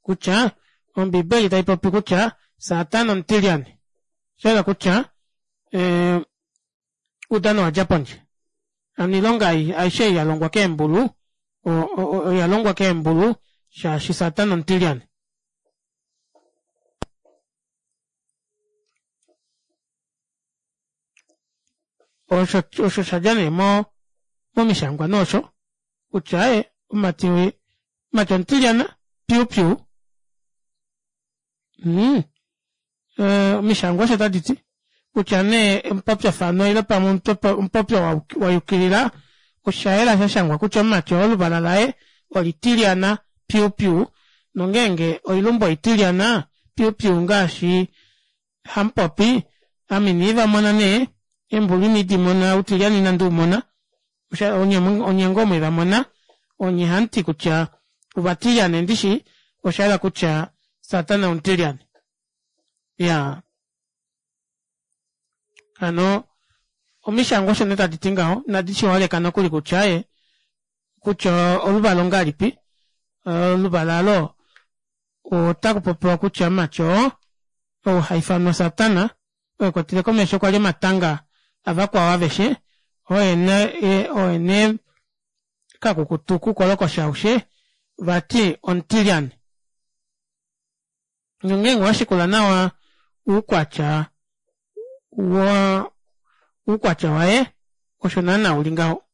A: kutya ombibeli taipopi kutya satana omutilyane oshayela kutya oudano owadja pondje hano oilonga aishe ei yalongwa keembulu oyalongwa keembulu shaashi satana omutilyane osho osho shadja nee mo momishangwa nee osho kutya aaye omumati omumati omutilyana piu piu mm omishangwa osho taditi kutya nee omupopyofano ile pamwe omupopyo wayukilila oshayela shashangwa kutya omumati oo oluvala laye olitilyana piu piu nongeenge oilumbu oitilyana piu piu ngaashi hamupopi ame inandivamona nee eembulu ina ndimona outilyane ina ndiumona onye ngoo mwevamona onye hamuti kutya Ovatilyane ndishi oshayela kutya Satana omutilyane. Iyaa hano omishangwa osho nee taditi ngaho inadi shiholeka nokuli kutya aaye kutya oluvala ongahelipi oluvala aalo otakupopiwa kutya mumati oo ou haifanwa satana oo ekwatele komesho kwali omatanga avakwao aveshe oye nee kakukutu koukolokosha aushe vati omutilyane. Nongeenge owashikula nawa oukwatya waa oukwatya waye osho naana uli ngaho.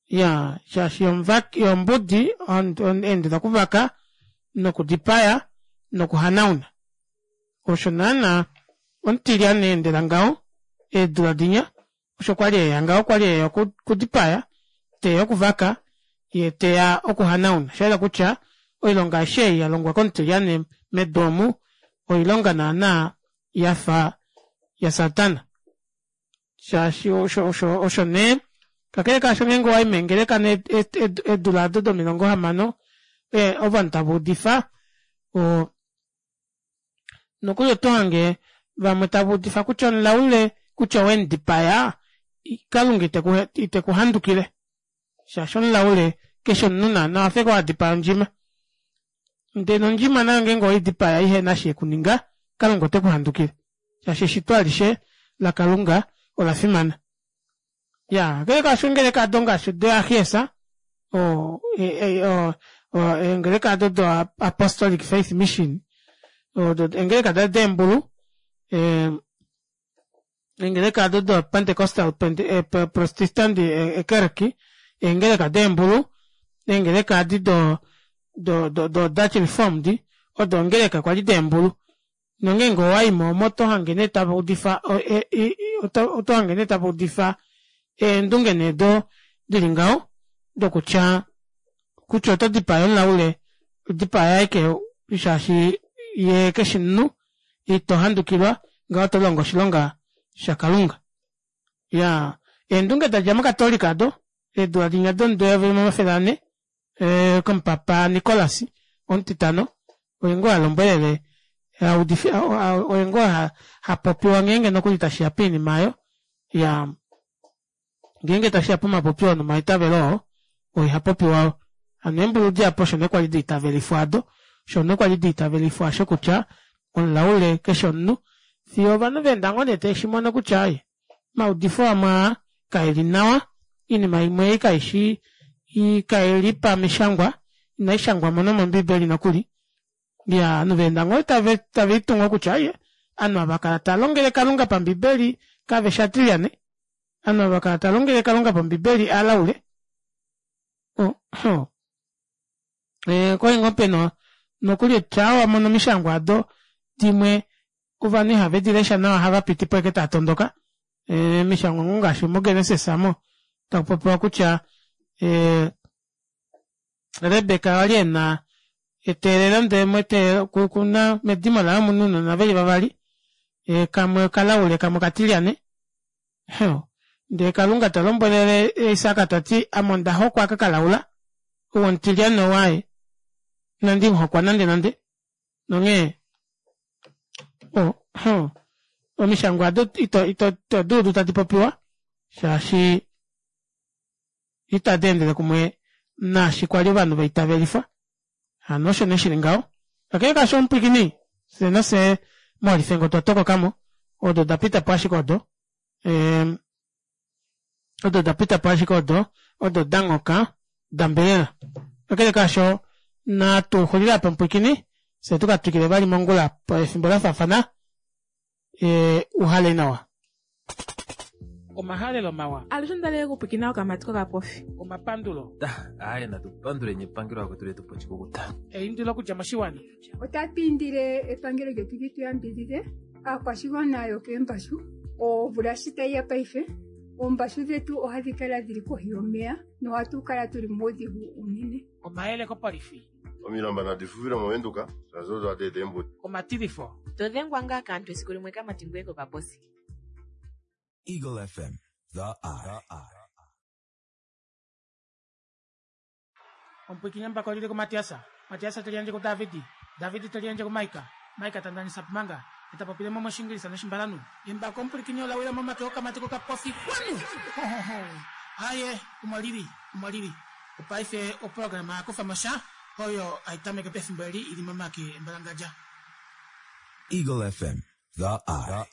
A: Iyaa shaashi yee ombudi eendela okuvaka nokudipaya nokuhanauna osho naana omutilyane aendela ngaho eedula dinya osho kwali eya ngaho okwali eya okudipaya teya okuvaka yee teya okuhanauna oshayela kutya oilonga aishe ei yalongwa komutilyane medu omu oilonga naana yafa yasatana shaashi osho osho nee kakele kaasho ngeenge owayi meengeleka nee eedula aado domilongo hamano ovanhu tava udifa oo nokuli otohange vamwe tava udifa kutya omulaule kutya owemudipaya kalunga itekuhandukile shaashi omulaule keshi omunhu naana owafa ashike wadipaya ondjima ndee nondjima nayo ngeenge oweidipaya ihena eshi yekuninga kalunga otekuhandukile shaashi eshito alishe lakalunga olafimana. Iyaa kakele kaasho eengeleka aado ngaashi do ahiesa oo eengeleka aado do apostolic faith mission odo eengeleka deembulu eengeleka aado do pentecostal protestant ekerki eengeleka deembulu eengeleka edi do do dutch reformed odo eengeleka kwali deembulu nongeenge owayimo omo otohange nee tavaudifa otohange nee tavaudifa eendunge nee odo dili ngaho dokutya kutya otodipaya omulaule dipaya ashike shaashi yee keshi omunhu ito handukilwa ngaho otolongo oshilonga shakalunga. Iyaa eendunge dadja mokatolika aado eedula dinya domudo eyovi limwe omafele anhe komupapa Nicholas omutitano oye ngoo alombwelele audife oye ngoo hapopiwa ngeenge nokuli tashiya poinima aayo iyaa ngeenge tashiya pomapopyo nomaitavelo oo oye hapopiwa oo. Hano eembulu dihapu osho nee kwali daitavelifwa aado osho nee kwali daitavelifwa aasho kutya omulaule keshi omunhu fiyo ovanhu vaenda ngoo nee taveshimono kutya aaye omaudifo amwe aa kaeli nawa oinima imwe ei kaishi kaili pamishangwa inaishangwamo nomombibeli nokuli iyaa ovanhu vaenda ngoo taviitu ngoo kutya aaye ovanhu ava vakala tavalongele kalunga pambibeli kaveshi aatilyane ovanhu ava vakala tavalongele kalunga pambibeli ovalaule oo okwali ngoo pena nokuli shaa wamono omishangwa aado dimwe ovanhu ihave dilesha nawa ohavapitipo ashike taatondoka omishangwa ngoo ngaashi mo genesis aamo takupopiwa kutya rebecca okwali ena eteelelo ndee okuna medimo laye omuna ounona veli vavali kamwe okalaule kamwe okatilyane ndee kalunga talombwele isaac tati ame ondahokwa aka kalaula ou omutilyane ou aaye inandimuhokwa nande nande nonghee omishangwa aado ito ito duudu tadipopiwa shaashi ita deendele kumwe naashi kwali ovanhu vaitavelifwa hano osho nee shili ngaho. Kakele kaasho omupwiikini fyee nafye moolifengo otwa tokokamo odo odapitapo ashike odo odo odapitapo ashike odo odo danyoka dambelela. Kakele kaasho natuxulile aapa mupwiikini fyee tukatwikile vali mongula pefimbo lafaafana uhale nawa. Omahalelo mawa.
B: Alushe ondalele okupwiikina okamati kokapofi.
A: Omapandulo.
C: Aaye natu panduleni epangelo vakwetu letupa oshikukuta.
A: Eindilo okudja moshiwana.
D: Otatu indile epangelo lyetu li tu yambidhidhe aakwashigwana yokeembashu omvula shi tayi ya paife oombashu dhetu ohadhi kala dhili kohi yomeya nohatu kala tuli muudhigu uunene.
A: Omayele kopolifi.
E: Omilamba nadi fufile movenduka shaashi odo hadi eta eembuto.
A: Omatilifo.
F: Todhengwa ngaa kaantu esiku limwe kamati ngoye kokaposi.
G: Eagle F M, the eye.
A: Omupwiikini embako lili kuMatiasa, Matiasa teli yandje kuDavidi, Davidi teli yandje kuMaika, Maika tandanisa pumanga, eta popile mo moshingilisa noshimbalanu. Embako omupwilikini ola wila momake okamati kokapofi kwanu. Aye, omo lili, omo lili. Opaife oprograma yakufa mosha oyo aitameke pefimbo eli ili momake embalangadja.
G: Eagle F M, the eye.